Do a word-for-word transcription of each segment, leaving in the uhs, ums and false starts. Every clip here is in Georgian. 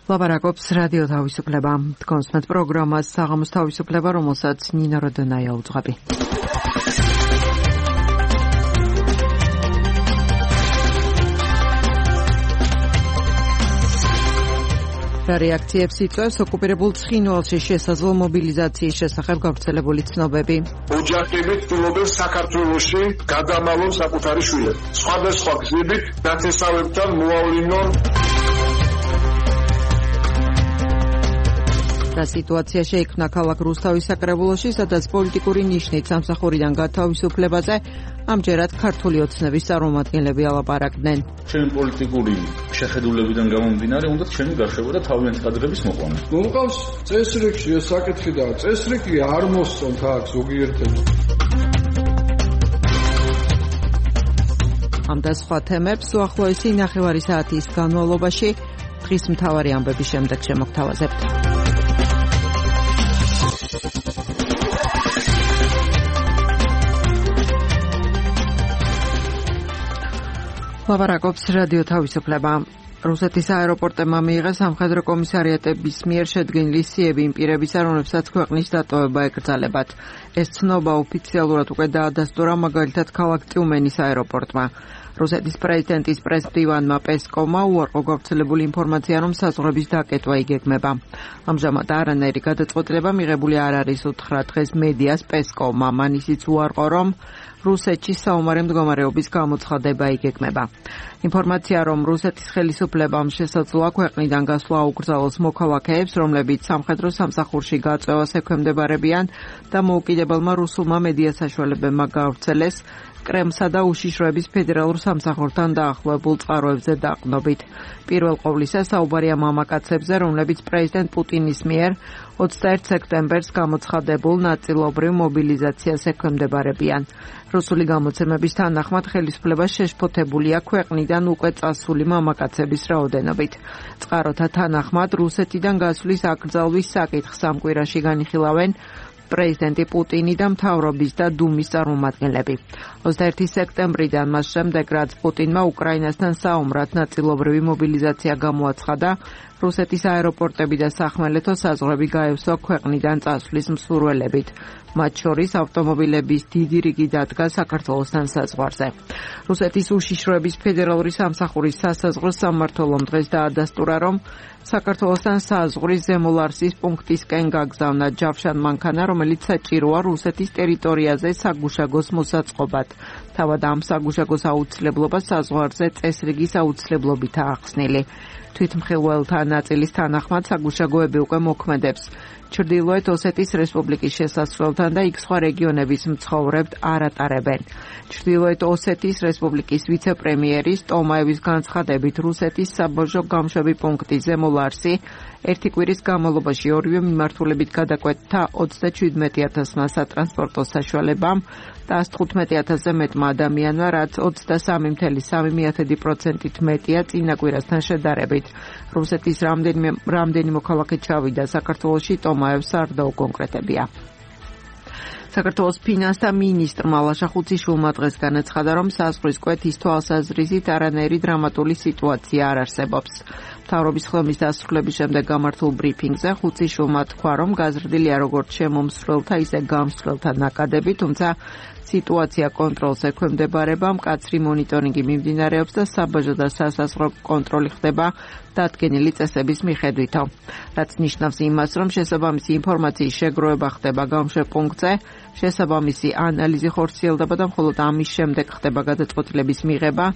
ლაპარაკობს რადიო თავისუფლება. თქვენს პროგრამას საღამოს თავისუფლება, რომელსაც ნინო როდონაია უძღვები. რა რეაქციებს იწვევს ოკუპირებულ ცხინვალში შესაძლო მობილიზაციის შესახებ გავრცელებული ცნობები. ოჯახები ცდილობენ საქართველოში გადამალონ საკუთარი შვილები. სხვადასხვა გზებით ნათესავებთან მოავლინონ. რა სიტუაცია შეიქმნა ქალაქ რუსთავის საკრებულოში, სადაც პოლიტიკური ნიშნით სამსახურიდან გათავისუფლებაზე ამჯერად ქართული ოცნების წარმომადგენლები ალაპარაკდნენ. Ჩემი პოლიტიკური შეხედულებიდან გამომდინარე, უნდა ჩემი გაშვება და თავიანთი კადრების მოყვანა. მომყავს წესრიგში ეს საკითხი და წესრიგი არ მოსწონთ აქ ზოგიერთებს. ამ და სხვა თემებს უახლოესი ნახევარი საათის განმავლობაში დღის მთავარი ამბების შემდეგ შემოგთავაზებთ. ლაპარაკობს რადიო თავისუფლება. რუსეთის აეროპორტებმა მიიღეს სამხედრო კომისარიატების მიერ შედგენილი სიები იმ პირებისა, რომლებსაც ქვეყნის დატოვება ეკრძალებათ. ეს ცნობა ოფიციალურად უკვე დაადასტურა მაგალითად ქალაქ ტიუმენის აეროპორტმა. რუსეთის პრეზიდენტის პრესმდივანმა პესკოვმა უარყო გავრცელებული ინფორმაცია, რომ საზღვრების დაკეტვა იგეგმება. ამჟამად არანაირი გადაწყვეტილება მიღებული არ არის უთხრა დღეს მედიას პესკოვმა. მან ისიც უარყო, რომ რუსეთში საომარი მდგომარეობის გამოცხადება იგეგმება. ინფორმაცია, რომ რუსეთის ხელისუფლებამ შესაძლოა ქვეყნიდან გასვლა აუკრძალოს მოქალაქეებს, რომლებიც სამხედრო სამსახურში გაწევას ექვემდებარებიან და მოუკიდებელმა რუსულმა მედია საშუალებებმა გავრცელეს კრემსა და უშიშროების ფედერალურ სამსახურთან დაახლოებულ წყაროებზე დაყრდნობით. პირველ ყოვლისა საუბარია მამაკაცებზე, რომლებიც პრეზიდენტ პუტინის მიერ ოცდაერთი სექტემბერს გამოცხადებულ ნაწილობრივ მობილიზაციას ექვემდებარებიან. რუსული გამოცემების თანახმად ხელისუფლება შეშფოთებულია ქვეყნიდან უკვე წასული მამაკაცების რაოდენობით. წყაროთა თანახმად რუსეთიდან გასვლის აკრძალვის საკითხს ამ კვირაში განიხილავენ პრეზიდენტი პუტინი და მთავრობის და დუმის წარმომადგენლები. ოცდაერთი სექტემბრიდან მას შემდეგ, რაც პუტინმა უკრაინასთან საომრად ნაწილობრივი მობილიზაცია გამოაცხადა, რუსეთის აეროპორტები და სახმელეთო საზღვრები გაევსო ქვეყნიდან წასვლის მსურველებით. მათ შორის ავტომობილების დიდი რიგი დადგა საქართველოსთან საზღვარზე. რუსეთის უშიშროების ფედერალური სამსახურის სასაზღვრო სამმართველომ დღეს დაადასტურა, რომ საქართველოსთან საზღვრის ზემოლარსის პუნქტისკენ გაგზავნა ჯავშან მანქანა, რომელიც საჭიროა რუსეთის ტერიტორიაზე საგუშაგოს მოსაწყობად. თავად ამ საგუშაგოს აუცილებლობა საზღვარზე წესრიგის აუცილებლობითაა ახსნილი. თვითმხილველთა ნაწილის თანახმად საგუშაგოები უკვე მოქმედებს ჩრდილოეთ ოსეთის რესპუბლიკის შესასვლელთან და იქ სხვა რეგიონების მცხოვრებთ არ ატარებენ. ჩრდილოეთ ოსეთის რესპუბლიკის ვიცე-პრემიერის ტომაევის განცხადებით, რუსეთის საბაჟო გამშვები პუნქტი ზემოლარსი ერთი კვირის განმავლობაში ორივე მიმართულებით გადაკვეთდა ოცდაჩვიდმეტი ათასმა სატრანსპორტო საშუალებამ და ას თხუთმეტი ათასზე მეტმა ადამიანმა, რაც ოცდასამი მცდელო სამი პროცენტით მეტია წინა კვირასთან შედარებით. რუსეთის რამდენიმე რამდენი მოქალაქე ჩავიდა საქართველოში, ტომაევს არ დაუკონკრეტებია. საქართველოს ფინანსთა მინისტრმა ლაშა ხუციშვილმა დღეს განაცხადა, რომ საზღვრის კვეთის თვალსაზრისით არანაირი დრამატული სიტუაცია არ არსებობს. მთავრობის ხლომის დასრულების შემდეგ გამართულ ბრიფინგზე ხუციშვილმა თქვა, რომ გაზრდილია როგორც შემომსვლელთა, ისე გამსვლელთა ნაკადები, თუმცა სიტუაცია კონტროლს ექვემდებარება, მკაცრი მონიტორინგი მიმდინარეობს და საბაჟო და სასაზღვრო კონტროლი ხდება დადგენილი წესების მიხედვითო. რაც ნიშნავს იმას, რომ შესაბამისი ინფორმაციის შეგროვება ხდება გამშვებ პუნქტზე, შესაბამისი ანალიზი ხორციელდება და მხოლოდ ამის შემდეგ ხდება გადაწყვეტილების მიღება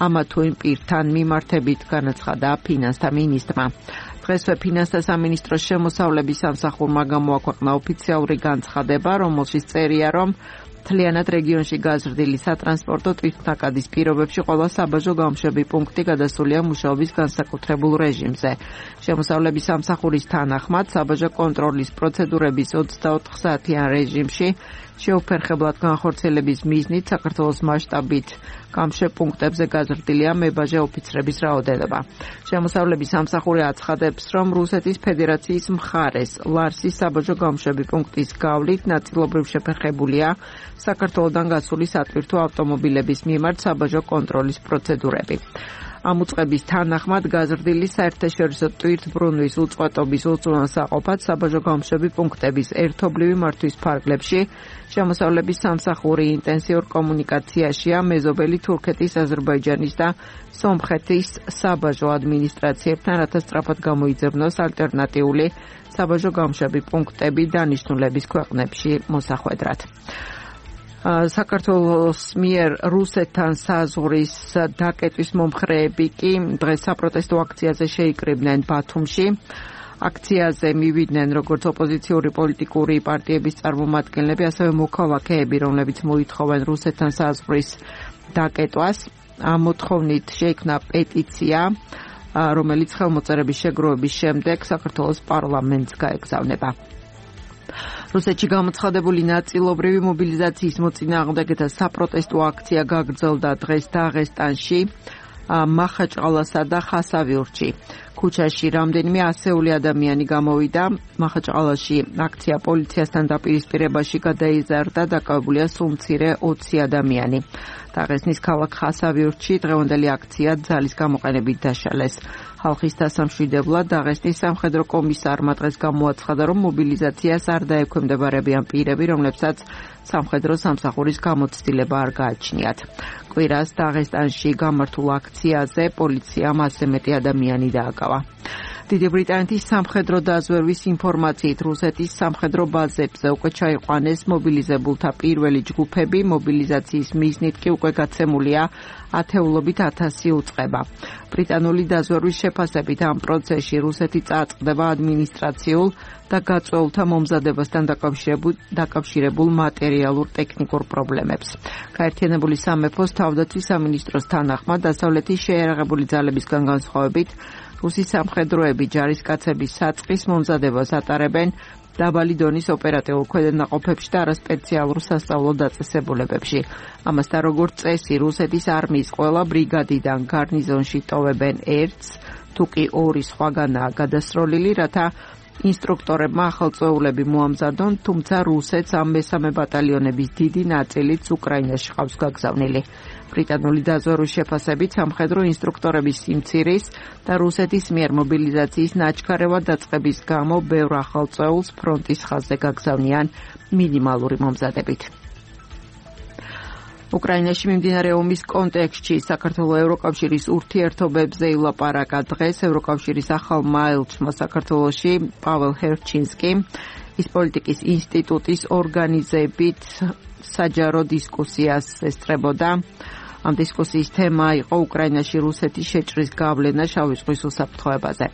ამა თუ იმ პირთან მიმართებით, განაცხადა ფინანსთა მინისტრმა. დღესვე ფინანსთა სამინისტროს შემოსავლების სამსახურმა გამოაქვეყნა ოფიციალური განცხადება, რომელშიც წერია, რომ მთლიანად რეგიონში გაზრდილი სატრანსპორტო თვითნაკადის პირობებში ყველა საბაჟო გამშვები პუნქტი გადასულია მუშაობის განსაკუთრებულ რეჟიმზე. შემოსავლების სამსახურის თანახმად საბაჟო კონტროლის პროცედურების ოცდაოთხ საათიან რეჟიმში შეუფერხებლად განხორციელების მიზნით საქართველოს მასშტაბით გამშვებ პუნქტებზე გაზრდილია მებაჟე ოფიცრების რაოდენობა. შემოსავლების სამსახური აცხადებს, რომ რუსეთის ფედერაციის მხარეს ლარსის საბაჟო გამშვები პუნქტის გავლით ნაწილობრივ შეფერხებულია საქართველოდან გასული სატვირთო ავტომობილების მიმართ საბაჟო კონტროლის პროცედურები. ამ უწყების თანახმად გაზრდილი საერთაშორისო ტვირთბრუნვის უწყვეტობის უზრუნველსაყოფად საბაჟო გამოშვები პუნქტების ერთობლივი მართვის ფარგლებში შემოსავლების სამსახური ინტენსიურ კომუნიკაციაშია მეზობელი თურქეთის, აზერბაიჯანის და სომხეთის საბაჟო ადმინისტრაციებთან, რათა სწრაფად გამოიძებნოს ალტერნატიული საბაჟო გამოშვები პუნქტები დანიშნულების ქვეყნებში მოსახვედრად. საქართველოს მიერ რუსეთთან საზღვრის დაკეტვის მომხრეები კი დღეს საპროტესტო აქციაზე შეიკრიბნენ ბათუმში. აქციაზე მივიდნენ როგორც ოპოზიციური პოლიტიკური პარტიების წარმომადგენლები, ასევე მოქალაქეები, რომლებიც მოითხოვენ რუსეთთან საზღვრის დაკეტვას. ამ მოთხოვნით შეიქმნა პეტიცია, რომელიც ხელმოწერების შეგროვების შემდეგ საქართველოს პარლამენტს გაეგზავნება. რუსეთში გამოცხადებული ნაწილობრივი მობილიზაციის მოწინააღმდეგეთა საპროტესტო აქცია გაგრძელდა დღეს დაღესტანში, მახაჭყალასა და ხასავიურთში. ქუჩაში რამდენიმე ასეული ადამიანი გამოვიდა. მახაჭყალაში აქცია პოლიციასთან დაპირისპირებაში გადაიზარდა, დაკავებულია სულ მცირე ოცი ადამიანი. დაღესტნის ქალაქ ხასავიურთში დღევანდელი აქცია ძალის გამოყენებით დაშალეს. ხალხის დასამშვიდებლად დაღესტნის სამხედრო კომისარმა დღეს გამოაცხადა, რომ მობილიზაციას არ დაექვემდებარებიან პირები, რომლებსაც სამხედრო სამსახურის გამოცდილება არ გააჩნიათ. კვირას დაღესტანში გამართულ აქციაზე პოლიციამ ასზე მეტი ადამიანი დააკავა. დიდი ბრიტანეთის სამხედრო დაზვერვის ინფორმაციით რუსეთის სამხედრო ბაზებზე უკვე ჩაიყვანეს მობილიზებულთა პირველი ჯგუფები, მობილიზაციის მიზნით კი უკვე გაცემულია ათეულობით ათასი უწყება. ბრიტანული დაზვერვის შეფასებით ამ პროცესში რუსეთი წააწყდება ადმინისტრაციულ და გაწვეულთა მომზადებასთან დაკავშირებულ მატერიალურ ტექნიკურ პრობლემებს. გაერთიანებული სამეფოს თავდაცვის სამინისტროს თანახმად დასავლეთის შეიარაღებული ძალებისგან განსხვავებით რუსი სამხედროები ჯარისკაცების საწყის მომზადებას ატარებენ დაბალი დონის ოპერატიულ ქვედანაყოფებში და არასპეციალურ სასწავლო დაწესებულებებში. ამასთან როგორც წესი, რუსეთის არმიის ყველა ბრიგადიდან გარნიზონში ტოვებენ ერთს, თუ კი ორი სხვაგანაა გადასროლილი, რათა ინსტრუქტორებმა ახალწეულები მოამზადონ, თუმცა რუსეთს ამ მესამე ბატალიონების დიდი ნაწილიც უკრაინაში ყავს გაგზავნილი. ბრიტანული დაზვერვის შეფასებით სამხედრო ინსტრუქტორების სიმცირის და რუსეთის მიერ მობილიზაციის ნაჩქარევად დაწყების გამო ბევრ ახალწეულს ფრონტის ხაზზე გაგზავნიან მინიმალური მომზადებით. უკრაინაში მიმდინარე ომის კონტექსტში საქართველოს ევროკავშირის ურთიერთობებზე ილაპარაკა დღეს ევროკავშირის ახალმა ელჩმა საქართველოში პაվել ჰერჩინსკიმ ის პოლიტიკის ინსტიტუტის ორგანიზებით საჯარო დისკუსიას ესწრებოდა. ამ დისკუსიის თემა იყო უკრაინაში რუსეთის შეჭრის გავლენა შავი ზღვის უსაფრთხოებაზე.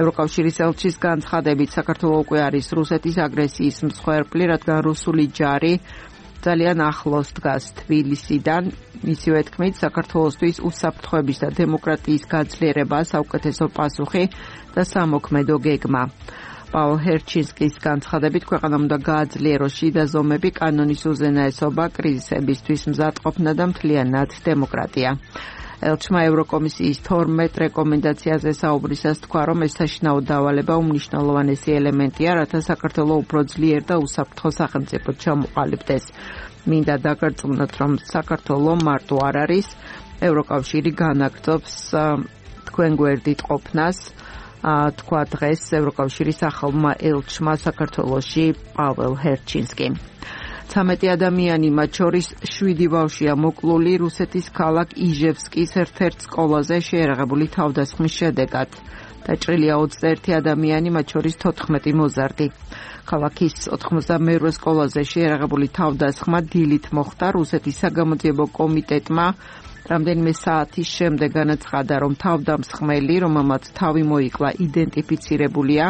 ევროკავშირის ელჩის განცხადებით საქართველოს უკვე არის რუსეთის აგრესიის მსხვერპლი, რადგან რუსული ჯარი ძალიან ახლოს დგას თბილისიდან. მისივე თქმით, საქართველოსთვის უსაფრთხოების და დემოკრატიის გაძლიერება საუკეთესო პასუხი და სამოქმედო გეგმა. პაულ ჰერჩინსკის განცხადებით, ქვეყანამ უნდა გააძლიეროს შიდა ზომები, კანონის უზენაესობა, კრიზისებისთვის მზადყოფნა და მთლიანად დემოკრატია. ელჩმა ევროკომისიის თორმეტ რეკომენდაციაზე საუბრისას თქვა, რომ ეს საშინაო დავალება უმნიშვნელოვანესი ელემენტია, რათა საქართველოს უფრო ძლიერ და უსაფრთხო სახელმწიფოდ ჩამოყალიბდეს. მინდა დაგარწმუნოთ, რომ საქართველოს მარტო არ არის, ევროკავშირი განაგრძობს თქვენ გვერდით ყოფნას, თქვა დღეს ევროკავშირის ახალმა ელჩმა საქართველოში პაվել ჰერჩინსკიმ. ცამეტი ადამიანი, მათ შორის შვიდი ბავშვია მოკლული რუსეთის ქალაქ იჟევსკის ერთ-ერთ სკოლაზე შეიარაღებული თავდასხმის შედეგად. დაჭრილია ოცდაერთი ადამიანი, მათ შორის თოთხმეტი მოზარდი. ქალაქის ოთხმოცდამეორე სკოლაზე შეიარაღებული თავდასხმა დილით მოხდა. რუსეთის საგამოძიებო კომიტეტმა რამდენიმე საათის შემდეგ განაცხადა, რომ თავდამსხმელი, რომელმაც თავი მოიკლა, იდენტიფიცირებულია.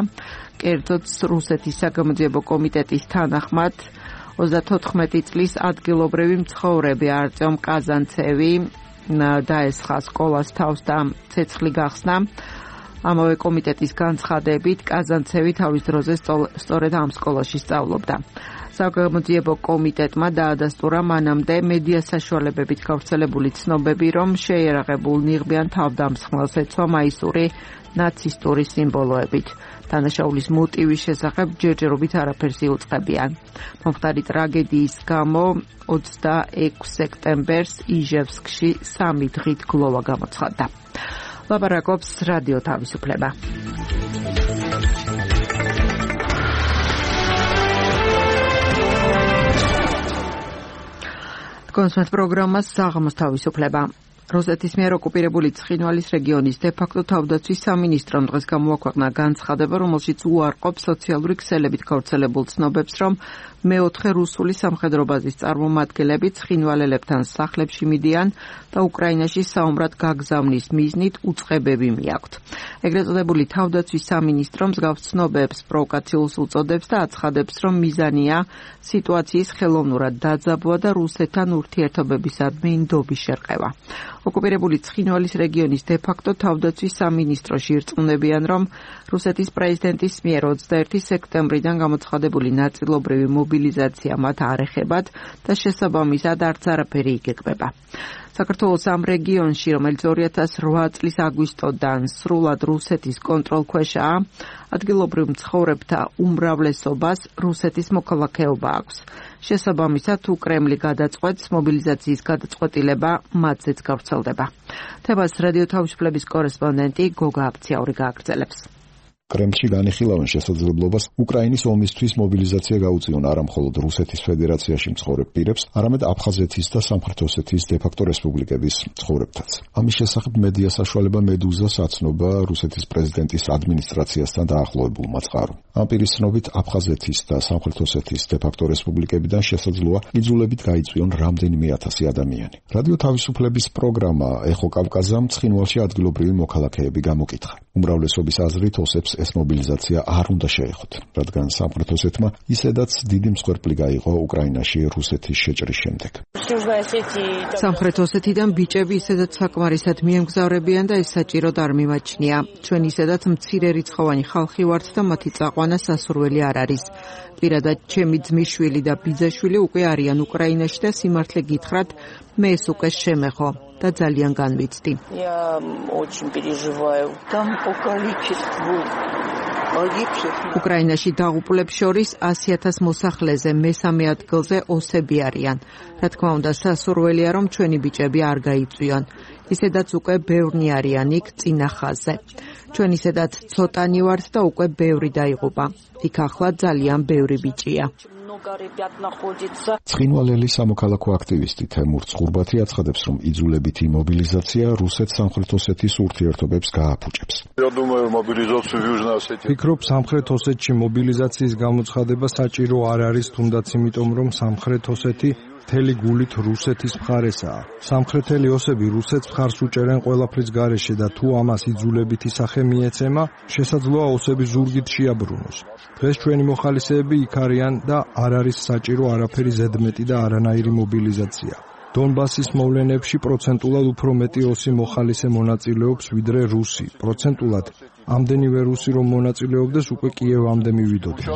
კერძოდ რუსეთის საგამოძიებო კომიტეტის თანახმად ოცდათოთხმეტი წლის ადგილობრივი მცხოვრები არტემ კაზანცევი დაესხა სკოლას თავს და ცეცხლი გახსნა. ამავე კომიტეტის განცხადებით, კაზანცევი თავის დროზე სწორედ ამ სკოლაში სწავლობდა. საგამოძიებო კომიტეტმა დაადასტურა მანამდე მედია საშუალებებით გავრცელებული ცნობები, რომ შეიარაღებულ ნიღბიან თავდამსხმელს ეცვა მაისური ნაცისტური სიმბოლოებით. თანაშაულის მოტივის შესახებ ჯერჯერობით არაფერს იუწყებიან. მომხდარი ტრაგედიის გამო ოცდაექვსი სექტემბერს იჟევსკში სამი დღით გლოვა გამოცხადდა. ლაპარაკობს რადიო თავისუფლება. კონსულტ პროგრამას საღამოს თავისუფლება. რუსეთის მიერ ოკუპირებული ცხინვალის რეგიონის დე-ფაქტო თავდაცვის სამინისტრომ დღეს გამოაქვეყნა განცხადება, რომელშიც უარყოფს სოციალური ქსელებით გავრცელებულ ცნობებს, რომ მეოთხე რუსული სამხედრო ბაზის წარმომადგენლები ცხინვალელებთან სახლებში მიდიან და უკრაინაში საომრად გაგზავნის მიზნით უწყებები მიაქვთ. ეგრეთ წოდებული თავდაცვის სამინისტრო მსგავს ცნობებს პროვოკაციულს უწოდებს და აცხადებს, რომ მიზანია სიტუაციის ხელოვნურად დაძაბვა და რუსეთთან ურთიერთობებისადმი ნდობის შერყევა. ოკუპირებული ცხინვალის რეგიონის დე-ფაქტო თავდაცვის სამინისტროში ირწმუნებიან, რომ რუსეთის პრეზიდენტის მიერ ოცდაერთი სექტემბრიდან გამოცხადებული ნაწილობრივი მობილიზაცია მათ არ ეხებათ და შესაბამისად არც არაფერი იგეგმება. საქართველოს ამ რეგიონში, რომელიც ორი ათას რვა წლის აგვისტოდან სრულად რუსეთის კონტროლქვეშაა, ადგილობრივ მცხოვრებთა უმრავლესობას რუსეთის მოქალაქეობა აქვს. შესაბამისად, თუ კრემლი გადაწყვეტს, მობილიზაციის გადაწყვეტილება მათზეც გავრცელდება. თემას რადიო თავისუფლების კორესპონდენტი გოგა აფციაური გააგრძელებს. კრემლში განიხილავენ შესაძლებლობას უკრაინის ომისთვის მობილიზაცია გაუწიონ არა მხოლოდ რუსეთის ფედერაციაში მცხოვრებ პირებს, არამედ აფხაზეთის და სამხრეთ ოსეთის დე-ფაქტო რესპუბლიკების მცხოვრებთაც. ამის შესახებ მედია საშუალება მედუზას აცნობა რუსეთის პრეზიდენტის ადმინისტრაციასთან დაახლოებულმა წყარომ. ამ პირის ცნობით აფხაზეთის და სამხრეთ ოსეთის დე-ფაქტო რესპუბლიკებიდან შესაძლოა იძულებით გაიწვიონ რამდენიმე ათასი ადამიანი. რადიო თავისუფლების პროგრამა ეხო კავკაზამ ცხინვალში ადგილობრივი მოქალაქეები გამოკითხა. უმრავლესობის აზრით ოსებს ეს მობილიზაცია არ უნდა შეეხოთ, რადგან სამხრეთ ოსეთმა ისედაც დიდი მსხვერპლი გაიღო უკრაინაში რუსეთის შეჭრის შემდეგ. სამხრეთ ოსეთიდან ბიჭები ისედაც საკმარისად მიემგზავრებიან და ეს საჭიროდ არ მიმაჩნია. ჩვენ ისედაც მცირე რიცხოვანი ხალხი ვართ და მათი წაყვანა სასურველი არ არის. პირადად ჩემი ძმისშვილი და ბიძაშვილი უკვე არიან უკრაინაში და სიმართლე გითხრათ, მე ეს უკვე შემეხო და ძალიან განვიცდი. უკრაინაში დაღუპულებს შორის ასი ათას მოსახლეზე მესამე ადგილზე ოსები არიან. რა თქმა უნდა, სასურველია, რომ ჩვენი ბიჭები არ გაიწვიონ. ისედაც უკვე ბევრნი არიან იქ წინა ხაზზე. ჩვენ ისედაც ცოტანი ვართ და უკვე ბევრი დაიღუპა. იქ ახლა ძალიან ბევრი ბიჭია. ცხინვალელი სამოქალაქო აქტივისტი თემურ ცხურბათი აცხადებს, რომ იძულებითი მობილიზაცია რუსეთ-სამხრეთ ოსეთის ურთიერთობებს გააფუჭებს. ფიქრობ, სამხრეთ ოსეთში მობილიზაციის გამოცხადება საჭირო არ არის, თუნდაც იმიტომ, რომ სამხრეთ ოსეთი მთელი გულით რუსეთის მხარესაა. სამხრეთელი ოსები რუსეთს მხარს უჭერენ ყველაფრის გარეშე და თუ ამას იძულებითი სახე მიეცემა, შესაძლოა ოსები ზურგით შეაბრუნოს. დღეს ჩვენი მოხალისეები იქ არიან და არ არის საჭირო არაფერი ზედმეტი და არანაირი მობილიზაცია. დონბასის მოვლენებში პროცენტულად უფრო მეტი ოსი მოხალისე მონაწილეობს ვიდრე რუსი. პროცენტულად ამდენივე რუსი რომ მონაწილეობდეს უკვე კიევამდე მივიდოდნენ.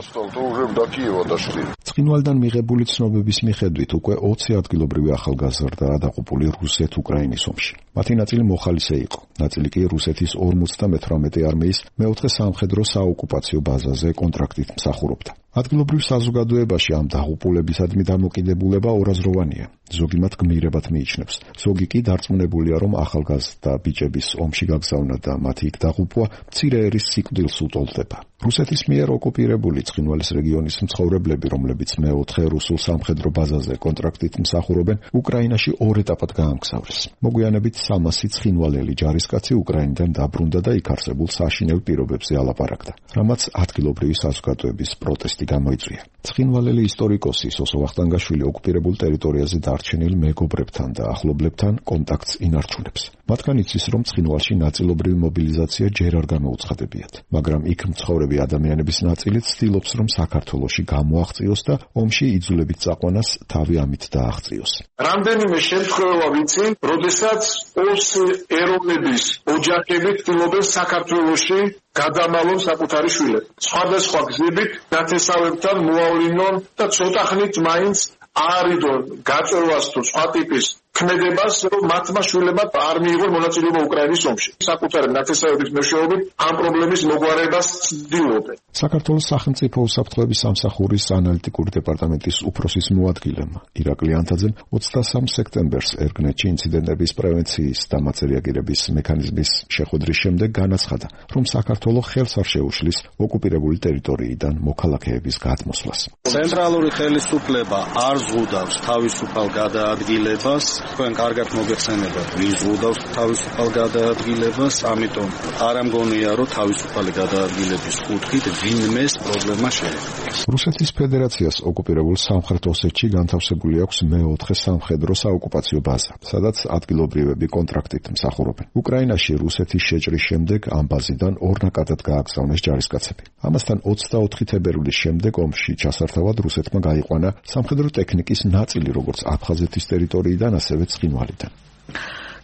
ცხინვალიდან მიღებული ცნობების მიხედვით უკვე ოცი ადგილობრივი ახალგაზრდაა დაღუპული რუსეთ-უკრაინის ომში. მათი ნაწილი მოხალისე იყო, ნაწილი კი რუსეთის ორმოცდამეთვრამეტე არმიის მეოთხე სამხედრო საოკუპაციო ბაზაზე კონტრაქტით მსახურობდა. ადგილობრივ საზოგადოებაში ამ დაღუპულებისადმი დამოკიდებულება ორაზროვანია. ზოგი მათ გმირებად მიიჩნევს, ზოგი კი დარწმუნებულია, რომ ახალგაზრდა ბიჭების ომში გაგზავნა და მათი იქ დაღუპვა მცირე ერის სიკვდილს უტოლდება. რუსეთის მიერ ოკუპირებული ცხინვალის რეგიონის მცხოვრებლები, რომლებიც მეოთხე რუსულ სამხედრო ბაზაზე კონტრაქტით მსახურობენ, უკრაინაში ორ ეტაპად გაამგზავრეს. მოგვიანებით სამასი ცხინვალელი ჯარისკაცი უკრაინიდან დაბრუნდა და იქ არსებულ საშინელ პირობებზე ალაპარაკდა, რამაც ადგილობრივი საზოგადოების პროტესტი გამოიწვია. ცხინვალელი ისტორიკოსი სოსო ვახტანგაშვილი ოკუპირებულ ტერიტორიაზე დარჩენილ მეგობრებთან და ახლობლებთან კონტაქტს ინარჩუნებს. მათგან იცის, რომ ცხინვალში ნაწილობრივი მობილიზაცია ჯერ არ მოუცხადებიათ. მაგრამ იქ მცხოვრები ადამიანების ნაწილი ცდილობს, რომ საქართველოში გამოაღწიოს და ომში იძულებით წაყვანას თავი ამით დააღწიოს. რამდენიმე შემთხვევა ვიცი, როდესაც ოსი ეროვნების ოჯახები ცდილობენ საქართველოში გადამალონ საკუთარი შვილები. სხვადასხვა გზებით ნათესავებთან მოავლინონ და ცოტა ხნით მაინც არიდონ გაწევას თუ სხვა ტიპის ქმედებას, რომ მათმა შვილებმა არ მიიღონ მონაწილეობა უკრაინის ომში. საკუთარი ნათესავების მეშვეობით ამ პრობლემის მოგვარებას ცდილობენ. საქართველოს სახელმწიფო უსაფრთხოების სამსახურის ანალიტიკური დეპარტამენტის უფროსის მოადგილემ ირაკლი ანთაძემ ოცდასამ სექტემბერს ერგნეთში ინციდენტების პრევენციის და მათზე რეაგირების მექანიზმის შეხვედრის შემდეგ განაცხადა, რომ საქართველო ხელს არ შეუშლის ოკუპირებული ტერიტორიიდან მოქალაქეების გადმოსვლას. ცენტრალური ხელისუფლება არ ზღუდავს თავისუფალ გადაადგილებას. თქვენ კარგად მოგეხსენებათ, ვის ზღუდავს თავისუფალ გადაადგილებას, ამიტომ არ ამგონია, რომ თავისუფალი გადაადგილების კუთხით ვინმეს პრობლემა შეექმნას. რუსეთის ფედერაციას ოკუპირებულ სამხრეთ ოსეთში განთავსებული აქვს მეოთხე სამხედრო საოკუპაციო ბაზა, სადაც ადგილობრივები კონტრაქტით მსახურობენ. უკრაინაში რუსეთის შეჭრის შემდეგ ამ ბაზიდან ორნაკადად გააგზავნეს ჯარისკაცები. ამასთან ოცდაოთხი თებერვლის შემდეგ ომში ჩასართავად რუსეთმა გაიყვანა სამხედრო ტექნიკის ნაწილი, როგორც აფხაზეთის ტერიტორიიდან, ასევე ცხინვალიდან.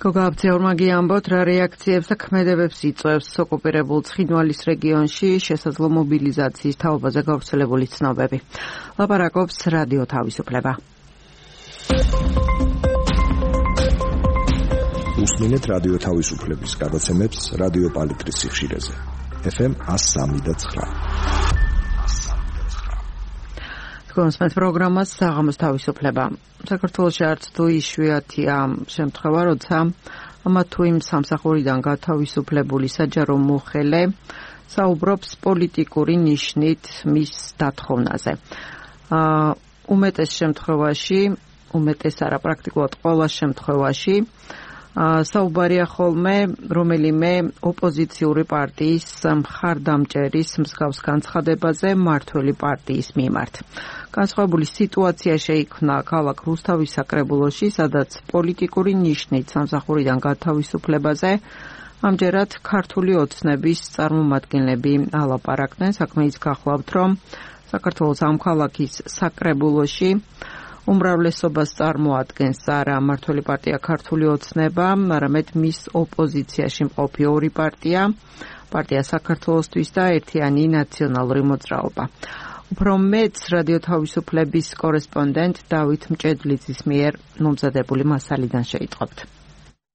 გოგა აბძეურმაგი ამბობთ, რა რეაქციებს და ქმედებებს იწვევს ოკუპირებულ ცხინვალის რეგიონში შესაძლო მობილიზაციის თაობაზე გავრცელებული ცნობები. ლაპარაკობს რადიო თავისუფლება. უსმინეთ რადიო თავისუფლების გადაცემებს რადიო პალიტრის სიხშირეზე. ეფ ემ one oh three point nine. კონსმეთ პროგრამას საღამოს თავისუფლება. საქართველოში არც თუ იშვიათია შემთხვევა, როცა ამა თუ იმ სამსახურიდან გათავისუფლებული საჯარო მოხელე საუბრობს პოლიტიკური ნიშნით მის დათხოვნაზე. აა უმეტეს შემთხვევაში, უმეტეს არა პრაქტიკულად ყველა შემთხვევაში საუბარია ხოლმე რომელიმე ოპოზიციური პარტიის მხარდამჭერის მსგავს განცხადებაზე მმართველი პარტიის მიმართ. განსხვავებული სიტუაცია შეიქმნა ქალაქ რუსთავის საკრებულოში, სადაც პოლიტიკური ნიშნით სამსახურიდან გათავისუფლებაზე ამჯერად ქართული ოცნების წარმომადგენლები ალაპარაკდნენ. საქმე ის გახლავთ, რომ საქართველოს ამ ქალაქის საკრებულოში უმრავლესობას წარმოადგენს არა მმართველი პარტია ქართული ოცნება, არამედ მის ოპოზიციაში მყოფი ორი პარტია, პარტია საქართველოსთვის და ერთიანი ნაციონალური მოძრაობა. უფრო მეც რადიო თავისუფლების კორესპონდენტ დავით მჭედლიძის მიერ მომზადებული მასალიდან შეიტყობთ.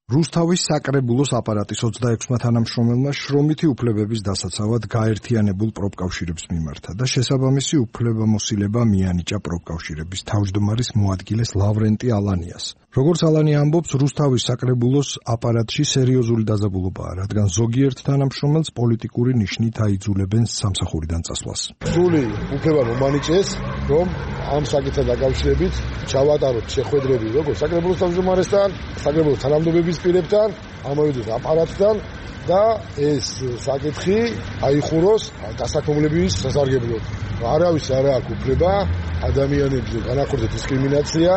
რუსთავის საკრებულოს აპარატის ოცდაექვსმა თანამშრომელმა შრომითი უფლებების დასაცავად გაერთიანებულ პროფკავშირებს მიმართა და შესაბამისი უფლებამოსილება მიანიჭა პროფკავშირების თავმჯდომარის მოადგილეს ლავრენტი ალანიას. როგორც ალანია ამბობს, რუსთავის საკრებულოს აპარატში სერიოზული დაძაბულობაა, რადგან ზოგიერთ თანამშრომელს პოლიტიკური ნიშნით აიძულებენ სამსახურიდან წასვლას. სრული უფლება მომანიჭეს, რომ ამ საკითხთან დაკავშირებით ჩავატაროთ შეხვედრები როგორც საკრებულოს თავმჯდომარესთან, საკრებულოს თანამდებობის პირებთან, ამავდროულად აპარატთან და ეს საკითხი აიხუროს დასაქმებლების სასარგებლოდ. არავის არ აქვს უფლება ადამიანებზე განახორციელოს დისკრიმინაცია.